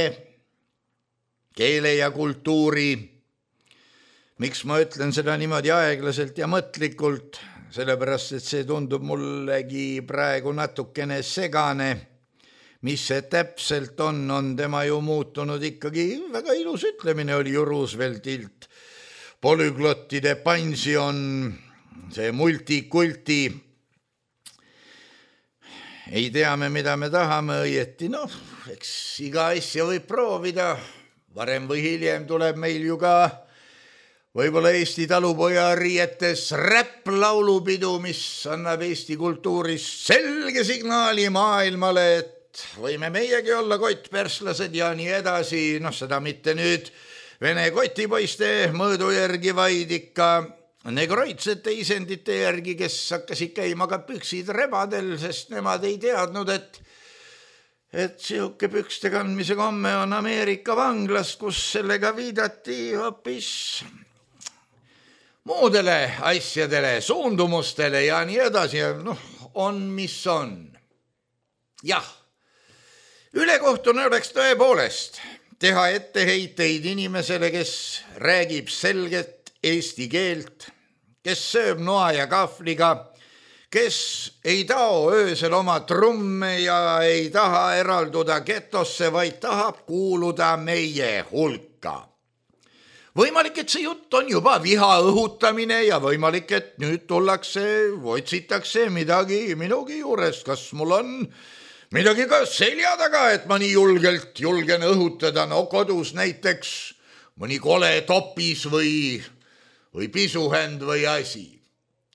keele ja kultuuri. Miks ma ütlen seda niimoodi aeglaselt ja mõtlikult? Sellepärast, et see tundub mullegi praegu natukene segane. Mis see täpselt on tema ju muutunud ikkagi, väga ilus ütlemine oli ju Rooseveltilt. Polüglottide pension, see multikulti. Ei tea me, mida me tahame õieti, eks iga asja võib proovida. Varem või hiljem tuleb meil ju ka võib-olla Eesti talupoja riietes räpplaulupidu, mis annab Eesti kultuuris selge signaali maailmale, et võime meiegi olla kottperslased ja nii edasi. Seda mitte nüüd vene kotipoiste mõõdu järgi, vaid ikka negroidsete isendite järgi, kes hakkasid käima ka püksid rebadel, sest nemad ei teadnud, et sihuke pükste kandmise komme on Ameerika vanglas, kus sellega viidati hoopis muudele asjadele, suundumustele ja nii edasi. On, mis on. Jah, ülekohtune oleks tõepoolest teha etteheiteid inimesele, kes räägib selget eesti keelt, kes sööb noa ja kahvliga, kes ei tao öösel oma trumme ja ei taha eralduda getosse, vaid tahab kuuluda meie hulka. Võimalik, et see jutt on juba viha õhutamine ja võimalik, et nüüd otsitakse midagi minugi juurest. Kas mul on midagi ka selja taga, et ma nii julgen õhutada, no kodus näiteks mõni kole topis või pisuhänd või asi.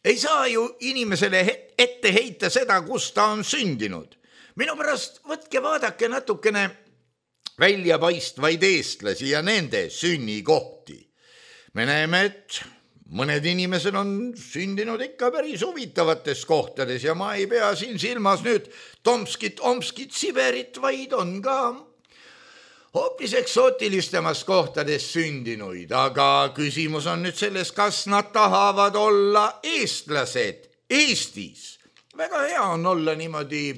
Ei saa ju inimesele ette heita seda, kus ta on sündinud. Minu pärast võtke vaadake natukene väljapaistvaid eestlasi ja nende sünnikohti. Me näeme, et mõned inimesed on sündinud ikka päris huvitavates kohtades ja ma ei pea siin silmas nüüd Tomskit, Siberit, vaid on ka hoopis eksootilistemas kohtades sündinuid, aga küsimus on nüüd selles, kas nad tahavad olla eestlased Eestis. Väga hea on olla niimoodi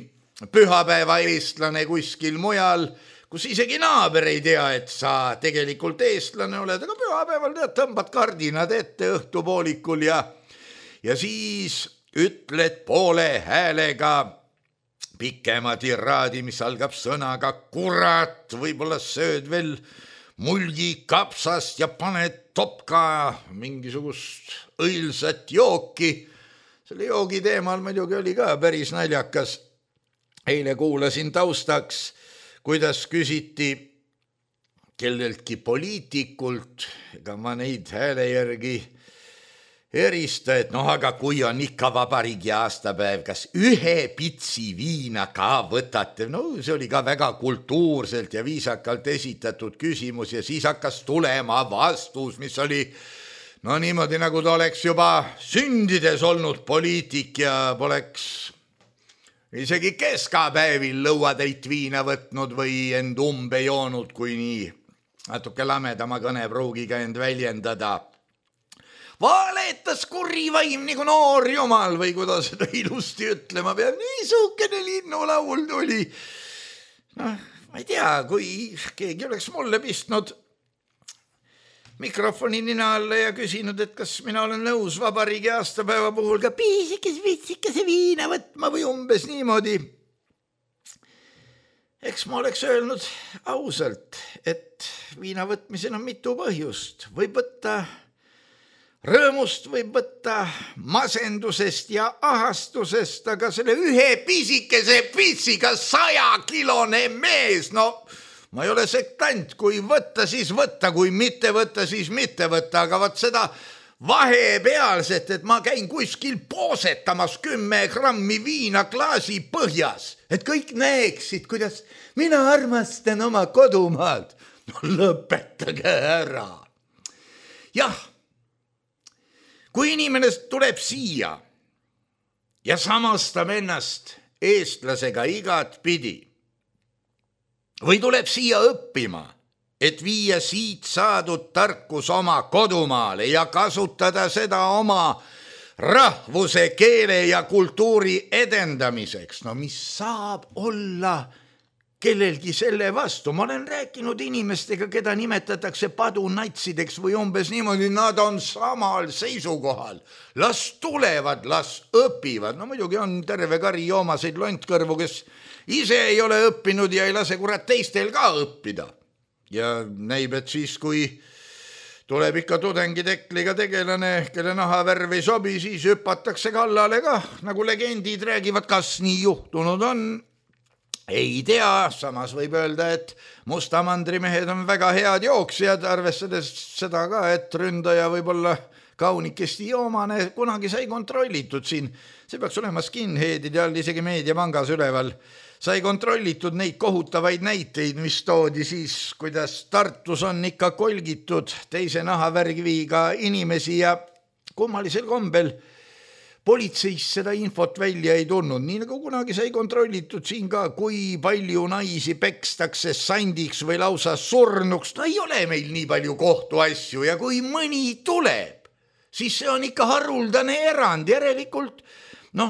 pühapäeva eestlane kuskil mujal, kus isegi naaber ei tea, et sa tegelikult eestlane oled, aga pühapäeval tõmbad kardinad ette õhtupoolikul ja siis ütled poole häälega pikema tiraadi, mis algab sõnaga kurat, võib-olla sööd veel mulgi kapsast ja paned topka mingisugust õilsat jooki. Selle joogi teemal muidugi oli ka päris naljakas. Eile kuulasin taustaks, kuidas küsiti kelleltki poliitikult, ega ma neid hääle järgi erista, et aga kui on ikka vabariigi aastapäev, kas ühe pitsi viina ka võtate? No see oli ka väga kultuurselt ja viisakalt esitatud küsimus ja siis hakkas tulema vastus, mis oli niimoodi, nagu ta oleks juba sündides olnud poliitik ja poleks isegi keskapäevil lõuatäit viina võtnud või end umbe joonud, kui nii natuke lamedama kõnepruugiga end väljendada. Valetas kuri vaim nagu noor jumal või kuidas seda ilusti ütlema peab. Niisugune linnulaul tuli. Ma ei tea, kui keegi oleks mulle pistnud mikrofoni nina alla ja küsinud, et kas mina olen nõus vabariigi aastapäeva puhul ka piisikese viina võtma või umbes niimoodi. Eks ma oleks öelnud ausalt, et viina võtmisel on mitu põhjust. Võib võtta rõõmust, võib võtta masendusest ja ahastusest, aga selle ühe pisikese pitsiga 100-kilone mees, ma ei ole sektant, kui võtta, siis võtta, kui mitte võtta, siis mitte võtta, aga võt seda vahepealset, et ma käin kuskil poosetamas 10 grammi viina klaasi põhjas, et kõik näeksid, kuidas mina armastan oma kodumaad. Lõpetage ära. Jah, kui inimene tuleb siia ja samastab ennast eestlasega igat pidi või tuleb siia õppima, et viia siit saadud tarkus oma kodumaale ja kasutada seda oma rahvuse, keele ja kultuuri edendamiseks, mis saab olla kellelgi selle vastu. Ma olen rääkinud inimestega, keda nimetatakse padunatsideks või umbes niimoodi, nad on samal seisukohal. Las tulevad, las õpivad. Muidugi on terve kari joomaseid lontkõrvu, kes ise ei ole õppinud ja ei lase kurat teistel ka õppida. Ja näib, et siis, kui tuleb ikka tudengitekliga tegelane, kelle nahavärv ei sobi, siis hüpatakse kallale ka, nagu legendid räägivad, kas nii juhtunud on. Ei tea, samas võib öelda, et mustamandrimehed on väga head jooksjad, arvestades seda ka, et ründaja võib olla kaunikesti joomane, kunagi sai kontrollitud siin, see peaks olema skinheadide all isegi meediapangas üleval, sai kontrollitud neid kohutavaid näiteid, mis toodi siis, kuidas Tartus on ikka kolgitud teise nahavärgiga inimesi ja kummalisel kombel politseis seda infot välja ei tulnud, nii nagu kunagi sai kontrollitud siin ka, kui palju naisi pekstakse sandiks või lausa surnuks. Ei ole meil nii palju kohtuasju ja kui mõni tuleb, siis see on ikka haruldane erand, järelikult.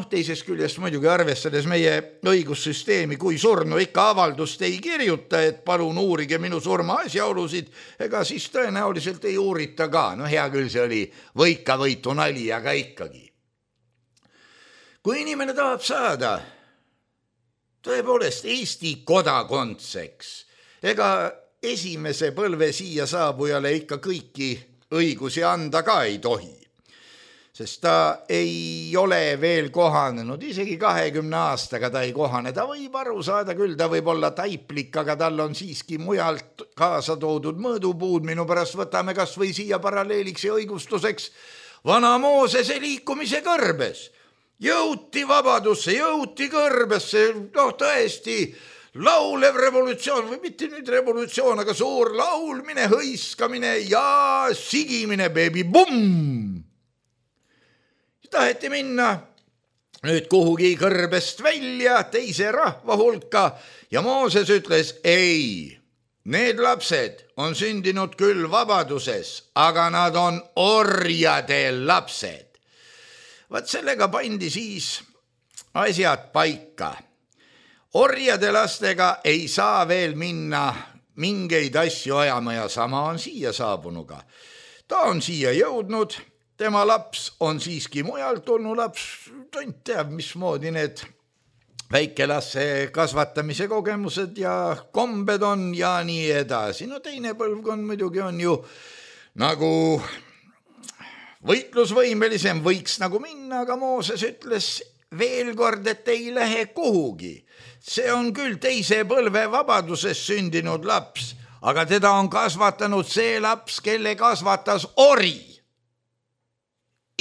Teisest küljest muidugi arvestades meie õigussüsteemi, kui surnu ikka avaldust ei kirjuta, et palun uurige minu surma asjaolusid, ega siis tõenäoliselt ei uurita ka. Hea küll, see oli võikavõitu nali, aga ikkagi. kui inimene tahab saada tõepoolest Eesti kodakondseks, ega esimese põlve siia saabujale ikka kõiki õigusi anda ka ei tohi, sest ta ei ole veel kohanenud, isegi 20 aastaga ta ei kohane, ta võib aru saada küll, ta võib olla taiplik, aga tal on siiski mujalt kaasa toodud mõõdupuud, minu pärast võtame kas või siia paralleeliks ja õigustuseks vana Moosese liikumise kõrbes. Jõuti vabadusse, jõuti kõrbesse, tõesti laulev revolutsioon või mitte nüüd revolutsioon, aga suur laulmine, hõiskamine ja sigimine, beebi, bumm! Taheti minna nüüd kuhugi kõrbest välja teise rahva hulka ja Mooses ütles, ei, need lapsed on sündinud küll vabaduses, aga nad on orjade lapsed. Vaat sellega pandi siis asjad paika. Orjade lastega ei saa veel minna mingeid asju ajama ja sama on siia saabunuga. Ta on siia jõudnud, tema laps on siiski mujalt tulnud laps, tont teab, mismoodi need väikelasse kasvatamise kogemused ja kombed on ja nii edasi. No teine põlvkond muidugi on ju nagu võitlusvõimelisem, võiks nagu minna, aga Mooses ütles veel kord, et ei lähe kuhugi. See on küll teise põlve vabaduses sündinud laps, aga teda on kasvatanud see laps, kelle kasvatas ori.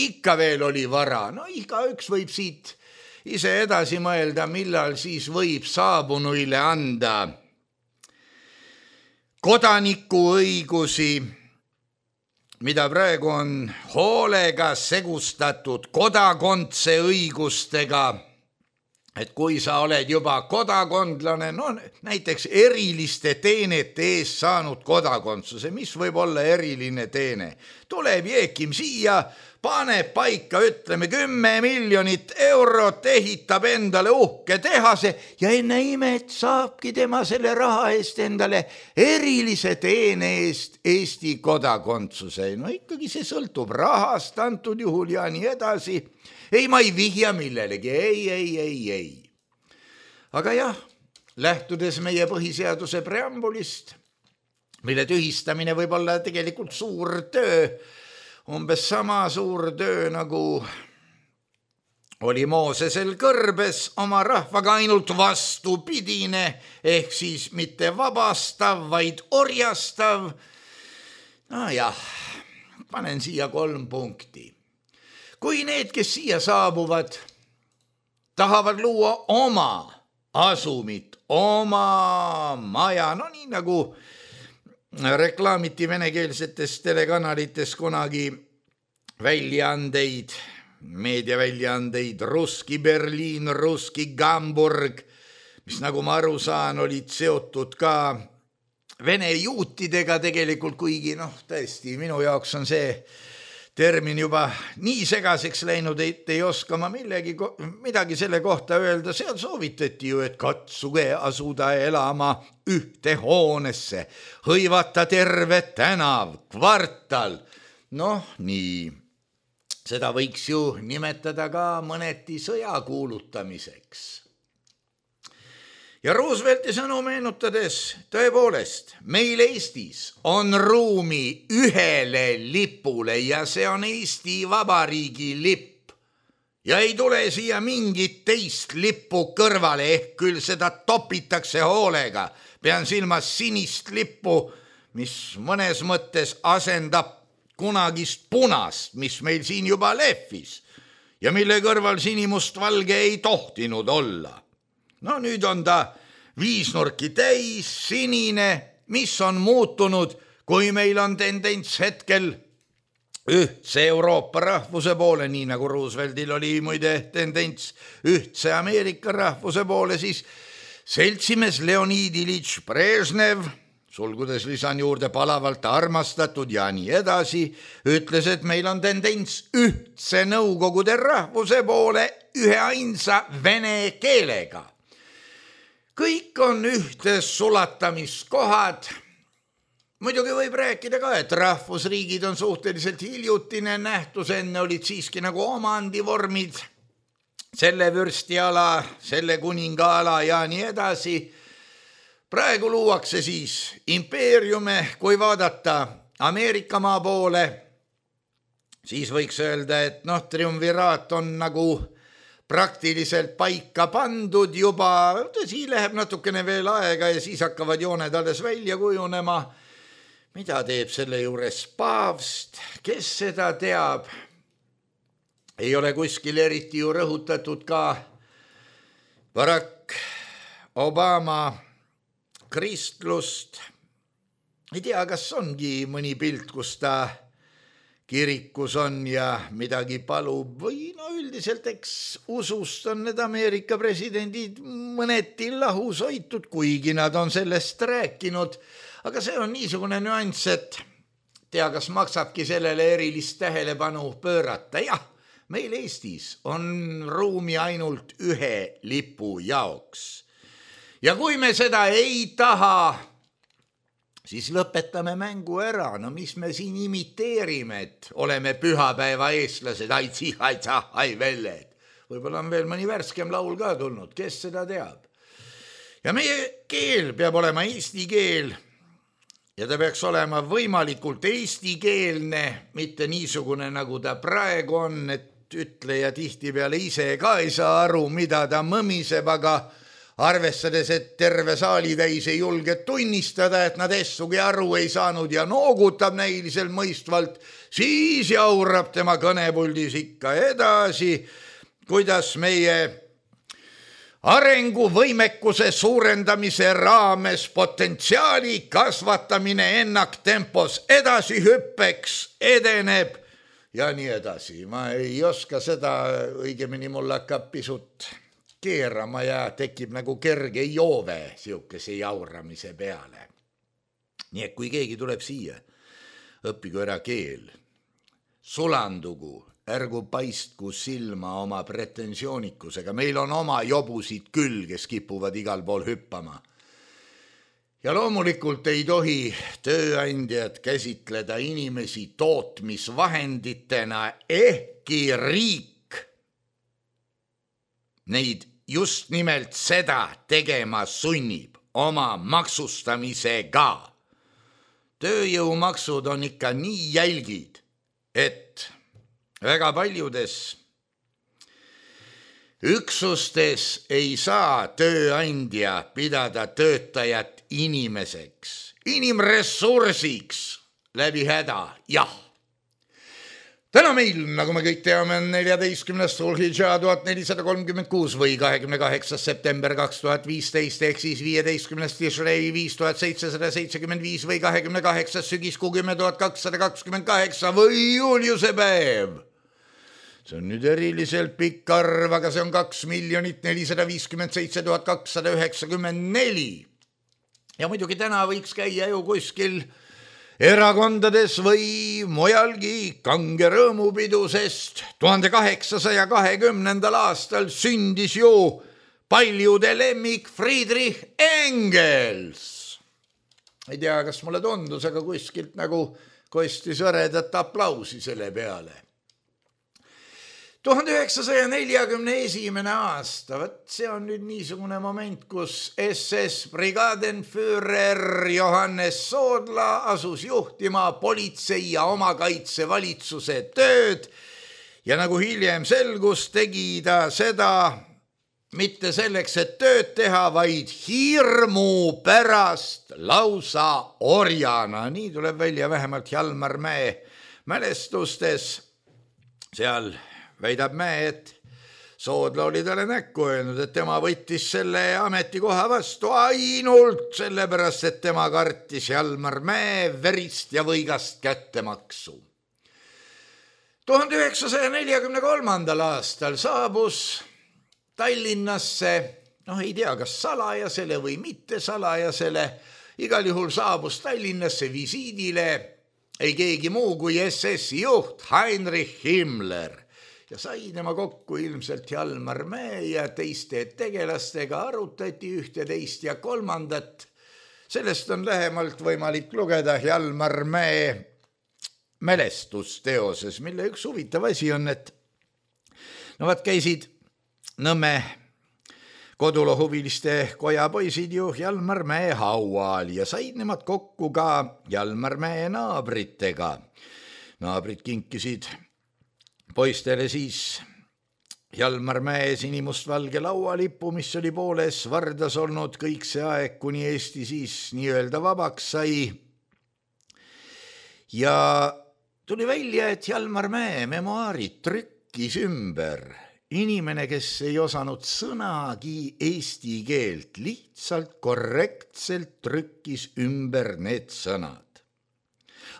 Ikka veel oli vara, no igaüks võib siit ise edasi mõelda, millal siis võib saabunuile anda kodanikuõigusi, mida praegu on hoolega segustatud kodakondse õigustega, et kui sa oled juba kodakondlane, no näiteks eriliste teenete eest saanud kodakondsuse, mis võib olla eriline teene, tuleb Jeekim siia, paneb paika, ütleme 10 miljonit eurot, ehitab endale uhke tehase ja enne imet saabki tema selle raha eest endale erilise teene eest Eesti kodakondsuse. No ikkagi see sõltub rahast antud juhul ja nii edasi. Ei, ma ei vihja millelegi, ei. Aga jah, lähtudes meie põhiseaduse preambulist, mille tühistamine võib olla tegelikult suur töö, umbes sama suur töö nagu oli Moosesel kõrbes oma rahvaga, ainult vastupidine, ehk siis mitte vabastav, vaid orjastav. No jah, panen siia 3 punkti. Kui need, kes siia saabuvad, tahavad luua oma asumit, oma maja, no nii nagu reklaamiti venekeelsetes telekanalites kunagi väljaandeid, meediaväljaandeid, Russki Berliin, Russki Hamburg, mis nagu ma aru saan, olid seotud ka vene juutidega tegelikult, kuigi tõesti minu jaoks on see termin juba nii segaseks läinud, et ei oska ma midagi selle kohta öelda. Seal soovitati ju, et katsuge asuda elama ühte hoonesse, hõivata terve tänav, kvartal. Nii, seda võiks ju nimetada ka mõneti sõja kuulutamiseks. Ja Roosevelti sõnu meenutades, tõepoolest, meil Eestis on ruumi ühele lipule ja see on Eesti Vabariigi lipp. Ja ei tule siia mingit teist lippu kõrvale, ehk küll seda topitakse hoolega. Pean silmas sinist lippu, mis mõnes mõttes asendab kunagist punast, mis meil siin juba lehvis ja mille kõrval sinimustvalge ei tohtinud olla. No nüüd on ta 5 nurki täis, sinine, mis on muutunud, kui meil on tendents hetkel ühtse Euroopa rahvuse poole, nii nagu Rooseveltil oli muide tendents ühtse Ameerika rahvuse poole, siis seltsimees Leonid Iljitš Brežnev, sulgudes lisan juurde palavalt armastatud ja nii edasi, ütles, et meil on tendents ühtse Nõukogude rahvuse poole üheainsa vene keelega. Kõik on ühtes sulatamiskohad. Muidugi võib rääkida ka, et rahvusriigid on suhteliselt hiljutine nähtus, enne olid siiski nagu omandivormid. selle vürstiala, selle kuningaala ja nii edasi. Praegu luuakse siis impeeriume, kui vaadata Ameerikamaa poole, siis võiks öelda, et triumviraat on nagu praktiliselt paika pandud juba, tõsi, läheb natukene veel aega ja siis hakkavad jooned alles välja kujunema. Mida teeb selle juures paavst, kes seda teab? Ei ole kuskil eriti ju rõhutatud ka Barack Obama kristlust. Ei tea, kas ongi mõni pilt, kus ta kirikus on ja midagi palub või üldiselt eks usust on need Ameerika presidendid mõneti lahus hoitud, kuigi nad on sellest rääkinud. Aga see on niisugune nüanss, et tea, kas maksabki sellele erilist tähelepanu pöörata. Jah, meil Eestis on ruumi ainult ühe lipu jaoks. Ja kui me seda ei taha, siis lõpetame mängu ära. No mis me siin imiteerime, et oleme pühapäeva eestlased, ai velled. Võib-olla on veel mõni värskem laul ka tulnud, kes seda teab. Ja meie keel peab olema eesti keel ja ta peaks olema võimalikult eestikeelne, mitte niisugune, nagu ta praegu on, et ütleja tihtipeale ise ka ei saa aru, mida ta mõmiseb, aga arvestades, et terve saalitäis ei julge tunnistada, et nad essugi aru ei saanud ja noogutab näiliselt mõistvalt, siis jaurab tema kõnepuldis ikka edasi, kuidas meie arenguvõimekuse suurendamise raames potentsiaali kasvatamine ennaktempos edasihüppeks edeneb ja nii edasi. Ma ei oska seda, õigemini mul hakkab pisut keerama ja tekib nagu kerge joove siukese jauramise peale. Nii et kui keegi tuleb siia, õppigu ära keel, sulandugu, ärgu paistku silma oma pretensioonikusega. Meil on oma jobusid küll, kes kipuvad igal pool hüppama. Ja loomulikult ei tohi tööandjad käsitleda inimesi tootmisvahenditena, ehkki riik neid just nimelt seda tegema sunnib oma maksustamisega. Tööjõumaksud on ikka nii jälgid, et väga paljudes üksustes ei saa tööandja pidada töötajat inimeseks, inimressursiks läbi häda, jah. Täna meil, nagu me kõik teame, on 14. Sulhidža 1436 või 28. september 2015 ehk siis 15. Tishrei 5775 või 28. sügiskuu 10.228 või Juliuse päev. See on nüüd eriliselt pikk arv, aga see on 2,457,294. Ja muidugi täna võiks käia ju kuskil erakondades või mujalgi kange rõõmupidu, sest 1820. aastal sündis ju paljude lemmik Friedrich Engels. Ei tea, kas mulle tundus, aga kuskilt nagu kostis õredat aplausi selle peale. 1941. aasta, see on nüüd niisugune moment, kus SS Brigadenführer Johannes Soodla asus juhtima politsei ja omakaitsevalitsuse tööd ja nagu hiljem selgus, tegi ta seda mitte selleks, et tööd teha, vaid hirmu pärast lausa orjana. Nii tuleb välja vähemalt Hjalmar Mäe mälestustes. Seal väidab Mäe, et Soodla oli talle näkku öelnud, et tema võttis selle ametikoha vastu ainult sellepärast, et tema kartis Hjalmar Mäe verist ja võigast kättemaksu. 1943. aastal saabus Tallinnasse, ei tea, kas salajasele või mitte salajasele, igal juhul saabus Tallinnasse visiidile ei keegi muu kui SS-i juht Heinrich Himmler. Ja sai tema kokku ilmselt Hjalmar Mäe ja teiste tegelastega, arutati ühte, teist ja kolmandat. Sellest on lähemalt võimalik lugeda Hjalmar Mäe mälestusteoses, mille üks huvitav asi on, et käisid Nõmme kodulohuviliste koja poisid ju Jalmar Mäe haual ja said nemad kokku ka Jalmar Mäe naabritega. Naabrid kinkisid poistele siis Jalmar Mäe sinimustvalge laualipu, mis oli pooles vardas olnud kõik see aeg, kuni Eesti siis nii-öelda vabaks sai. Ja tuli välja, et Jalmar Mäe memuaarid trükkis ümber inimene, kes ei osanud sõnagi eesti keelt, lihtsalt korrektselt trükkis ümber need sõnad.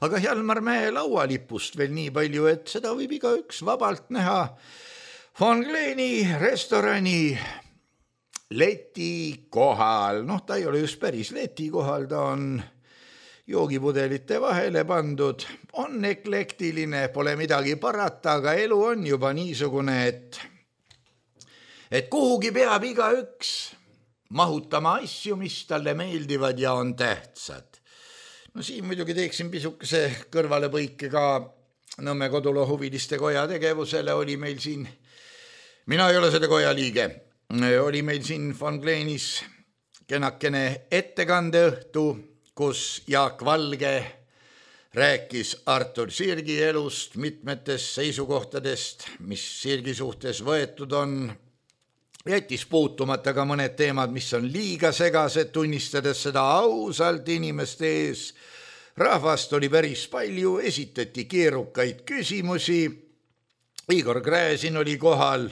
Aga Jalmar Mäe laualipust veel nii palju, et seda võib igaüks vabalt näha Von Kleeni restorani leti kohal. Ta ei ole just päris leti kohal, ta on joogipudelite vahele pandud, on eklektiline, pole midagi parata, aga elu on juba niisugune, et kuhugi peab igaüks mahutama asju, mis talle meeldivad ja on tähtsad. Siin muidugi teeksin pisukese kõrvalepõike ka Nõmme kodulohuviliste koja tegevusele. Oli meil siin, mina ei ole selle koja liige, oli meil siin Von Kleenis kenakene ettekandeõhtu, kus Jaak Valge rääkis Artur Sirgi elust, mitmetest seisukohtadest, mis Sirgi suhtes võetud on. Jättis puutumata ka mõned teemad, mis on liiga segased, tunnistades seda ausalt inimeste ees. Rahvast oli päris palju, esitati keerukaid küsimusi. Igor Gräzin oli kohal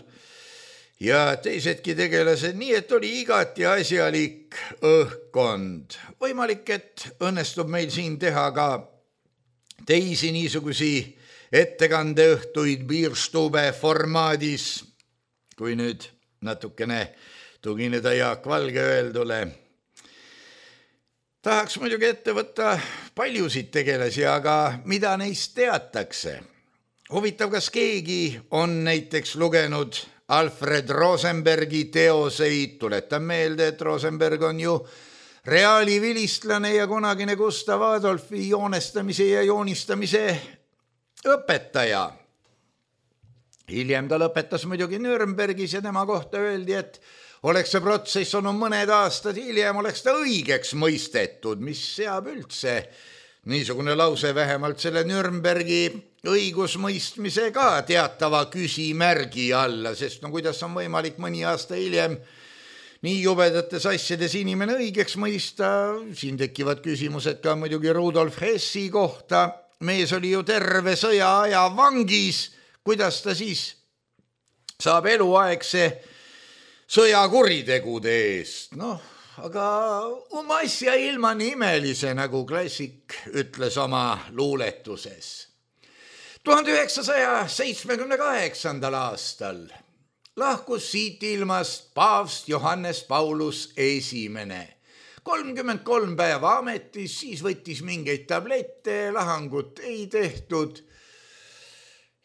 ja teisedki tegelased, nii et oli igati asjalik õhkkond. Võimalik, et õnnestub meil siin teha ka teisi niisugusi ettekandeõhtuid Bierstube formaadis, kui nüüd natukene tugineda Jaak Valge öeldule. Tahaks muidugi ette võtta paljusid tegelasi, aga mida neist teatakse? Huvitav, kas keegi on näiteks lugenud Alfred Rosenbergi teoseid? Tuletan meelde, et Rosenberg on ju reaali vilistlane ja kunagine Gustav Adolfi joonestamise ja joonistamise õpetaja. Hiljem ta lõpetas muidugi Nürnbergis ja tema kohta öeldi, et oleks see protsess olnud mõned aastad hiljem, oleks ta õigeks mõistetud, mis seab üldse niisugune lause vähemalt selle Nürnbergi õigusmõistmise ka teatava küsimärgi alla, sest kuidas on võimalik mõni aasta hiljem nii jubedates asjades inimene õigeks mõista. Siin tekivad küsimused ka muidugi Rudolf Hessi kohta. Mees oli ju terve sõjaaja vangis. Kuidas ta siis saab eluaegse sõjakuritegude eest? Aga asja ilma imelise, nagu klassik ütles oma luuletuses. 1978. aastal lahkus siit ilmast paavst Johannes Paulus I. 33 päeva ametis, siis võttis mingeid tablette, lahangut ei tehtud.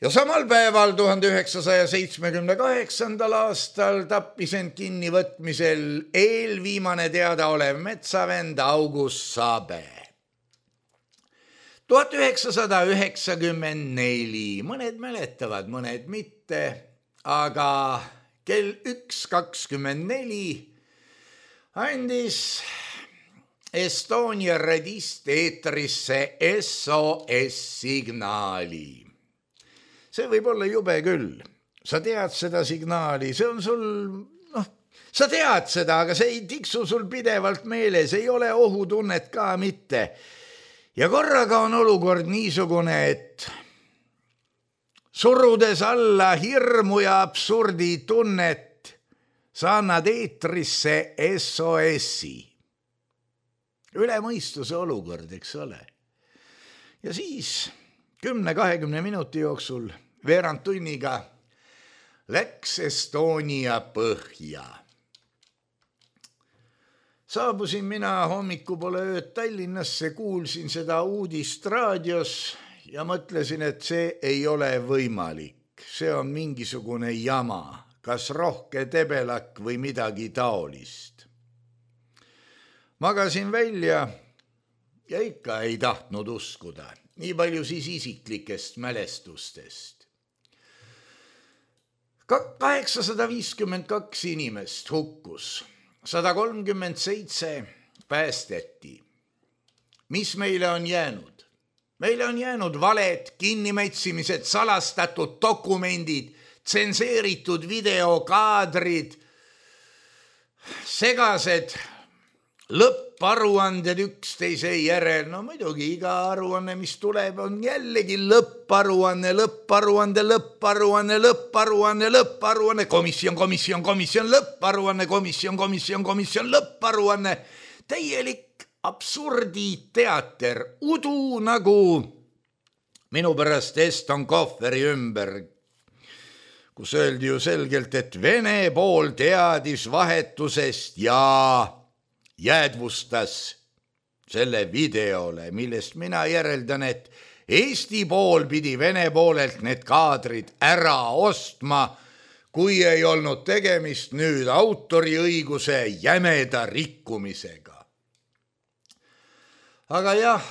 Ja samal päeval 1978. aastal tappis end kinnivõtmisel eelviimane teadaolev metsavend August Sabe. 1994, mõned mäletavad, mõned mitte, aga kell 1:24 andis Estonia radist eetrisse SOS-signaali. See võib olla jube küll. Sa tead seda signaali, see on sul, sa tead seda, aga see ei tiksu sul pidevalt meeles, ei ole ohutunnet ka mitte. Ja korraga on olukord niisugune, et surudes alla hirmu ja absurdi tunnet, sa annad eetrisse SOS-i. Üle mõistuse olukord, eks ole. Ja siis 10-20 minuti jooksul veerand tunniga läks Estonia põhja. Saabusin mina hommikupoole ööd Tallinnasse, kuulsin seda uudist raadios ja mõtlesin, et see ei ole võimalik. See on mingisugune jama, kas rohke tebelak või midagi taolist. Magasin välja ja ikka ei tahtnud uskuda. Nii palju siis isiklikest mälestustest. 852 inimest hukkus, 137 päästeti. Mis meile on jäänud? Meile on jäänud valed, kinnimätsimised, salastatud dokumendid, tsenseeritud videokaadrid, segased lõpparuanded üksteise järel. No muidugi iga aruanne, mis tuleb, on jällegi lõpparuanne, komisjon, lõpparuanne. Täielik absurditeater, udu nagu minu pärast Eston Kohveri ümber, kus öeldi ju selgelt, et Vene pool teadis vahetusest ja jäädvustas selle videole, millest mina järeldan, et Eesti pool pidi Vene poolelt need kaadrid ära ostma, kui ei olnud tegemist nüüd autoriõiguse jämeda rikkumisega. Aga jah,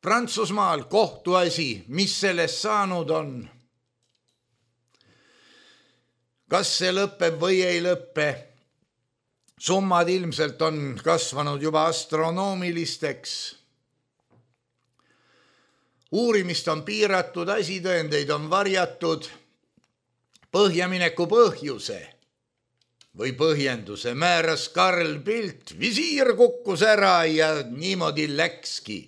Prantsusmaal kohtuasi, mis sellest saanud on? Kas see lõpeb või ei lõppe? Summad ilmselt on kasvanud juba astronoomilisteks. Uurimist on piiratud, asitõendeid on varjatud. Põhjamineku põhjuse või põhjenduse määras Karl Pilt, visiir kukkus ära ja niimoodi läkski.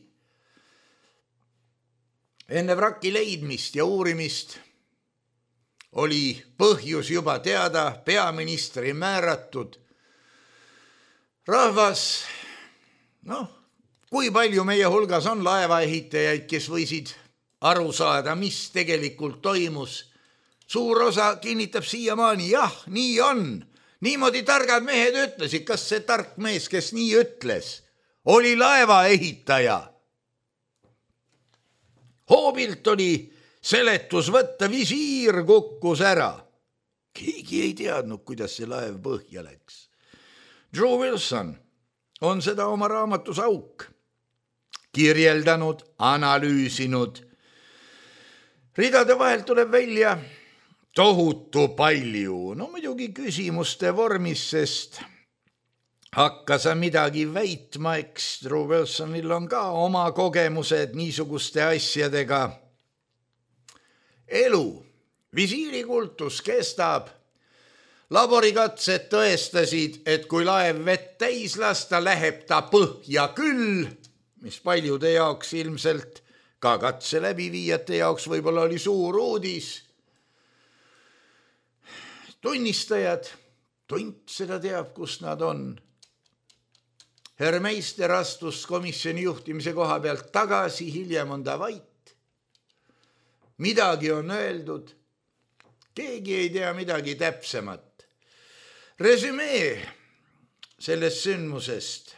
Enne vraki leidmist ja uurimist oli põhjus juba teada, peaministri määratud. Rahvas, kui palju meie hulgas on laevaehitajaid, kes võisid aru saada, mis tegelikult toimus. Suur osa kinnitab siiamaani, jah, nii on. Niimoodi targad mehed ütlesid, kas see tark mees, kes nii ütles, oli laevaehitaja. Hoobilt oli seletus võtta, visiir kukkus ära. Keegi ei teadnud, kuidas see laev põhja läks. Drew Wilson on seda oma raamatus Auk kirjeldanud, analüüsinud. Ridade vahel tuleb välja tohutu palju. No muidugi küsimuste vormis, sest hakka sa midagi väitma, eks Drew Wilsonil on ka oma kogemused niisuguste asjadega. Elu, visiirikultus kestab. Laborikatsed tõestasid, et kui laev vett täis lasta, läheb ta põhja küll, mis paljude jaoks ilmselt, ka katse läbiviijate jaoks võib-olla oli suur uudis. Tunnistajad, tunt seda teab, kus nad on. Herr Meister astus komisjoni juhtimise koha pealt tagasi, hiljem on ta vait. Midagi on öeldud, keegi ei tea midagi täpsemat. Resümee sellest sündmusest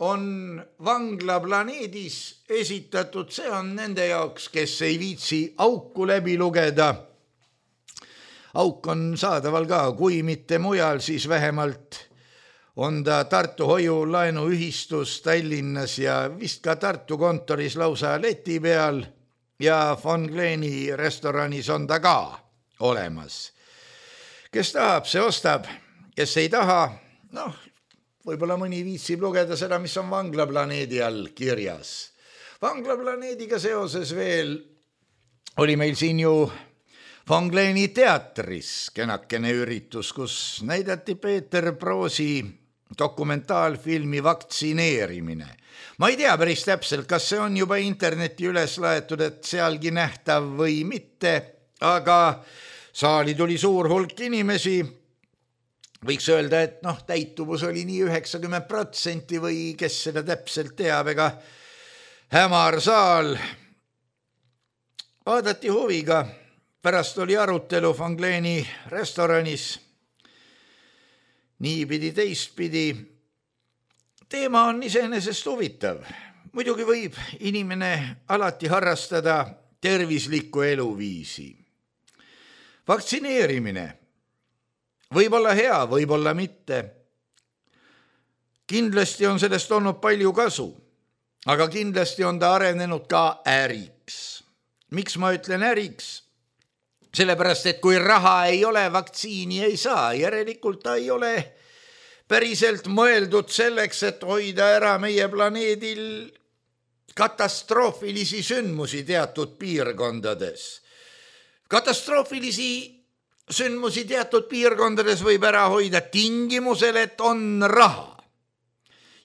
on Vanglaplaneedis esitatud, see on nende jaoks, kes ei viitsi Auku läbi lugeda. Auk on saadaval ka, kui mitte mujal, siis vähemalt on ta Tartu hoiulaenuühistus Tallinnas ja vist ka Tartu kontoris lausa leti peal ja Von Kleeni restoranis on ta ka olemas. Kes tahab, see ostab. Kes ei taha, võib-olla mõni viitsib lugeda seda, mis on Vanglaplaneedi all kirjas. Vanglaplaneediga seoses veel oli meil siin ju Von Kleeni teatris kenakene üritus, kus näidati Peeter Proosi dokumentaalfilmi Vaktsineerimine. Ma ei tea päris täpselt, kas see on juba interneti üles laetud, et sealgi nähtav või mitte, aga saali tuli suur hulk inimesi. Võiks öelda, et täituvus oli nii 90% või kes seda täpselt teab, ega hämar saal. Vaadati huviga, pärast oli arutelu Von Kleeni restoranis. Niipidi teistpidi. Teema on iseenesest huvitav. Muidugi võib inimene alati harrastada tervislikku eluviisi. Vaktsineerimine võib olla hea, võib olla mitte. Kindlasti on sellest olnud palju kasu, aga kindlasti on ta arenenud ka äriks. Miks ma ütlen äriks? Sellepärast, et kui raha ei ole, vaktsiini ei saa. Järelikult ta ei ole päriselt mõeldud selleks, et hoida ära meie planeedil katastroofilisi sündmusi teatud piirkondades. Katastroofilisi sündmusi teatud piirkondades võib ära hoida tingimusel, et on raha.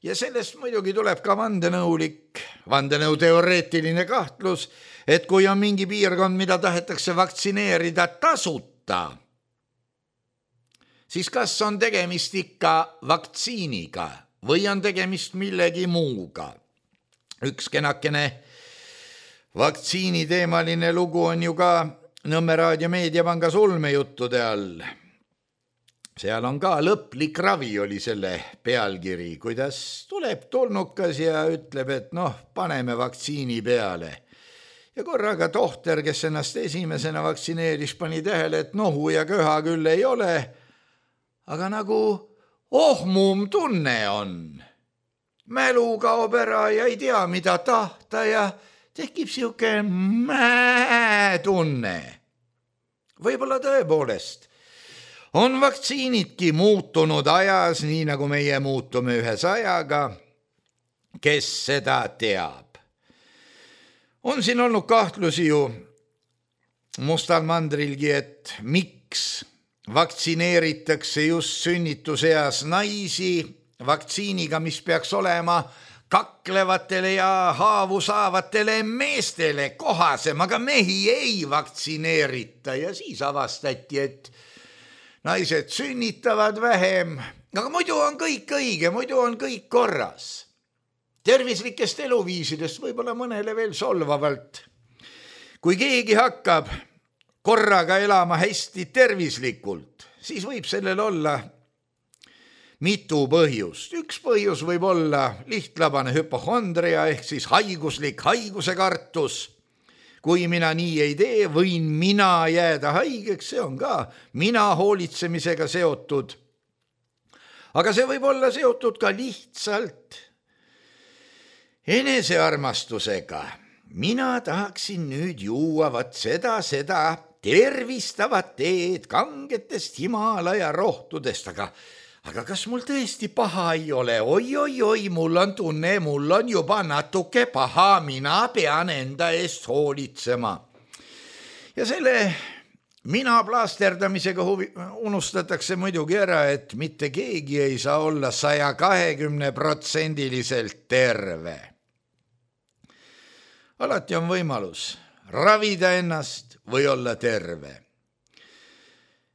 Ja sellest muidugi tuleb ka vandenõuteoreetiline kahtlus, et kui on mingi piirkond, mida tahetakse vaktsineerida tasuta, siis kas on tegemist ikka vaktsiiniga või on tegemist millegi muuga. Üks kenakene vaktsiiniteemaline lugu on ju ka Nõmme Raadio Meediapanga ulmejuttude all. Seal on ka lõplik ravi oli selle pealkiri, kuidas tuleb tolnukas ja ütleb, et paneme vaktsiini peale. Ja korraga tohter, kes ennast esimesena vaktsineeris, pani tähele, et nohu ja köha küll ei ole, aga nagu ohmum tunne on. Mälu kaob ära ja ei tea, mida tahta ja tekib siuke tunne. Võib-olla tõepoolest on vaktsiinidki muutunud ajas, nii nagu meie muutume ühes ajaga, kes seda teab. On siin olnud kahtlusi ju Mustal mandrilgi, et miks vaktsineeritakse just sünnituseas naisi vaktsiiniga, mis peaks olema kaklevatele ja haavu saavatele meestele kohasem, aga mehi ei vaktsineerita ja siis avastati, et naised sünnitavad vähem, aga muidu on kõik õige, muidu on kõik korras. Tervislikest eluviisidest võib-olla mõnele veel solvavalt. Kui keegi hakkab korraga elama hästi tervislikult, siis võib sellel olla mitu põhjust. Üks põhjus võib olla lihtlabane hüpohondria ehk siis haiguslik haigusekartus. Kui mina nii ei tee, võin mina jääda haigeks, see on ka mina hoolitsemisega seotud. Aga see võib olla seotud ka lihtsalt enesearmastusega. Mina tahaksin nüüd juua seda tervistavat teed kangetest Himalaja rohtudest, aga kas mul tõesti paha ei ole? Oi, mul on tunne, mul on juba natuke paha, mina pean enda eest hoolitsema. Ja selle mina plaasterdamisega unustatakse muidugi ära, et mitte keegi ei saa olla 120% terve. Alati on võimalus ravida ennast või olla terve.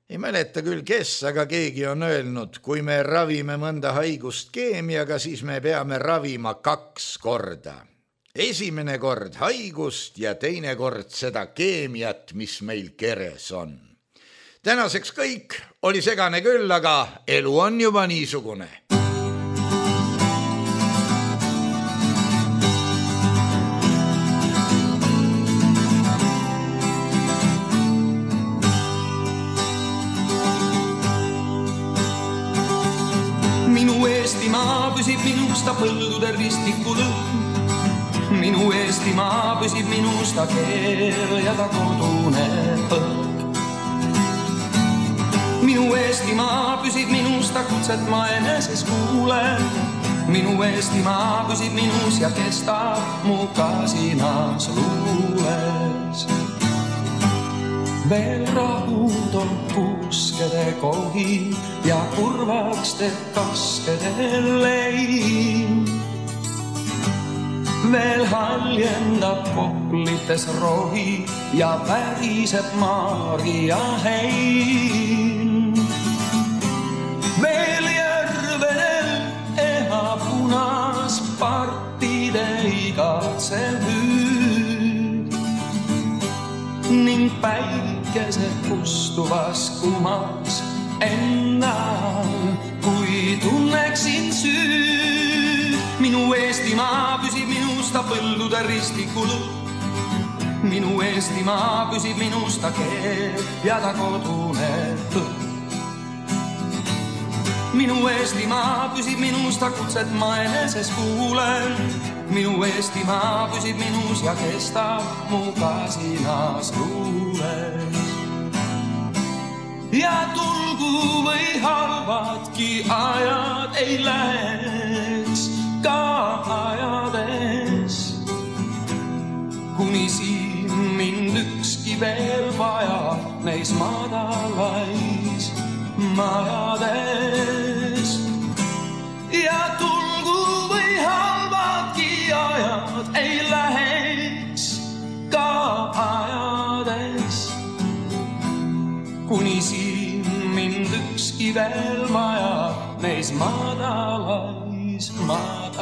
Ei mäleta küll kes, aga keegi on öelnud, kui me ravime mõnda haigust keemiaga, siis me peame ravima 2 korda. Esimene kord haigust ja teine kord seda keemiat, mis meil keres on. Tänaseks kõik oli segane küll, aga elu on juba niisugune. Eestimaa püsib minusta põldude ristikul. Minu Eestimaa püsib minusta keel ja ta kodune põlg. Minu Eestimaa püsib minusta kutset ma eneses kuulen. Minu Eestimaa püsib minus ja kestab mu kasinas luules. Veel rahutol puskede kohi ja kurvaks teeb kaskede lein. Veel haljendab poplites rohi ja väriseb Maarja hein. Veel järvedel eha punas partide igatsev hüüd ning päikese kustuvas kumas ennal, kui tunneksin süüd. Minu Eestimaa püsib minusta põldude ristikul. Minu Eestimaa püsib minusta keel ja ta kodune põld. Minu Eestimaa püsib minusta kutset ma eneses kuulen. Minu Eestimaa püsib minus ja kestab mu kasinas luules. ja tulgu või halvadki ajad ei läheks ka ajades, kuni siin mind ükski veel vaja neis madalais majades. Ja tulgu või halvadki ajad ei läheks ka ajades, kuni siin mind ükski veel maja neis madalais majades.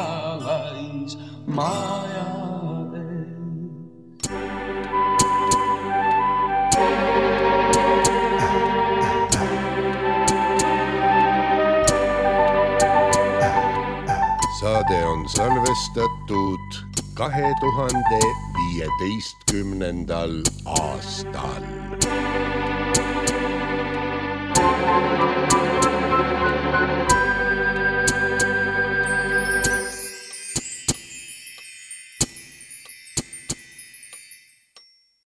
Saade on salvestatud 2015. aastal.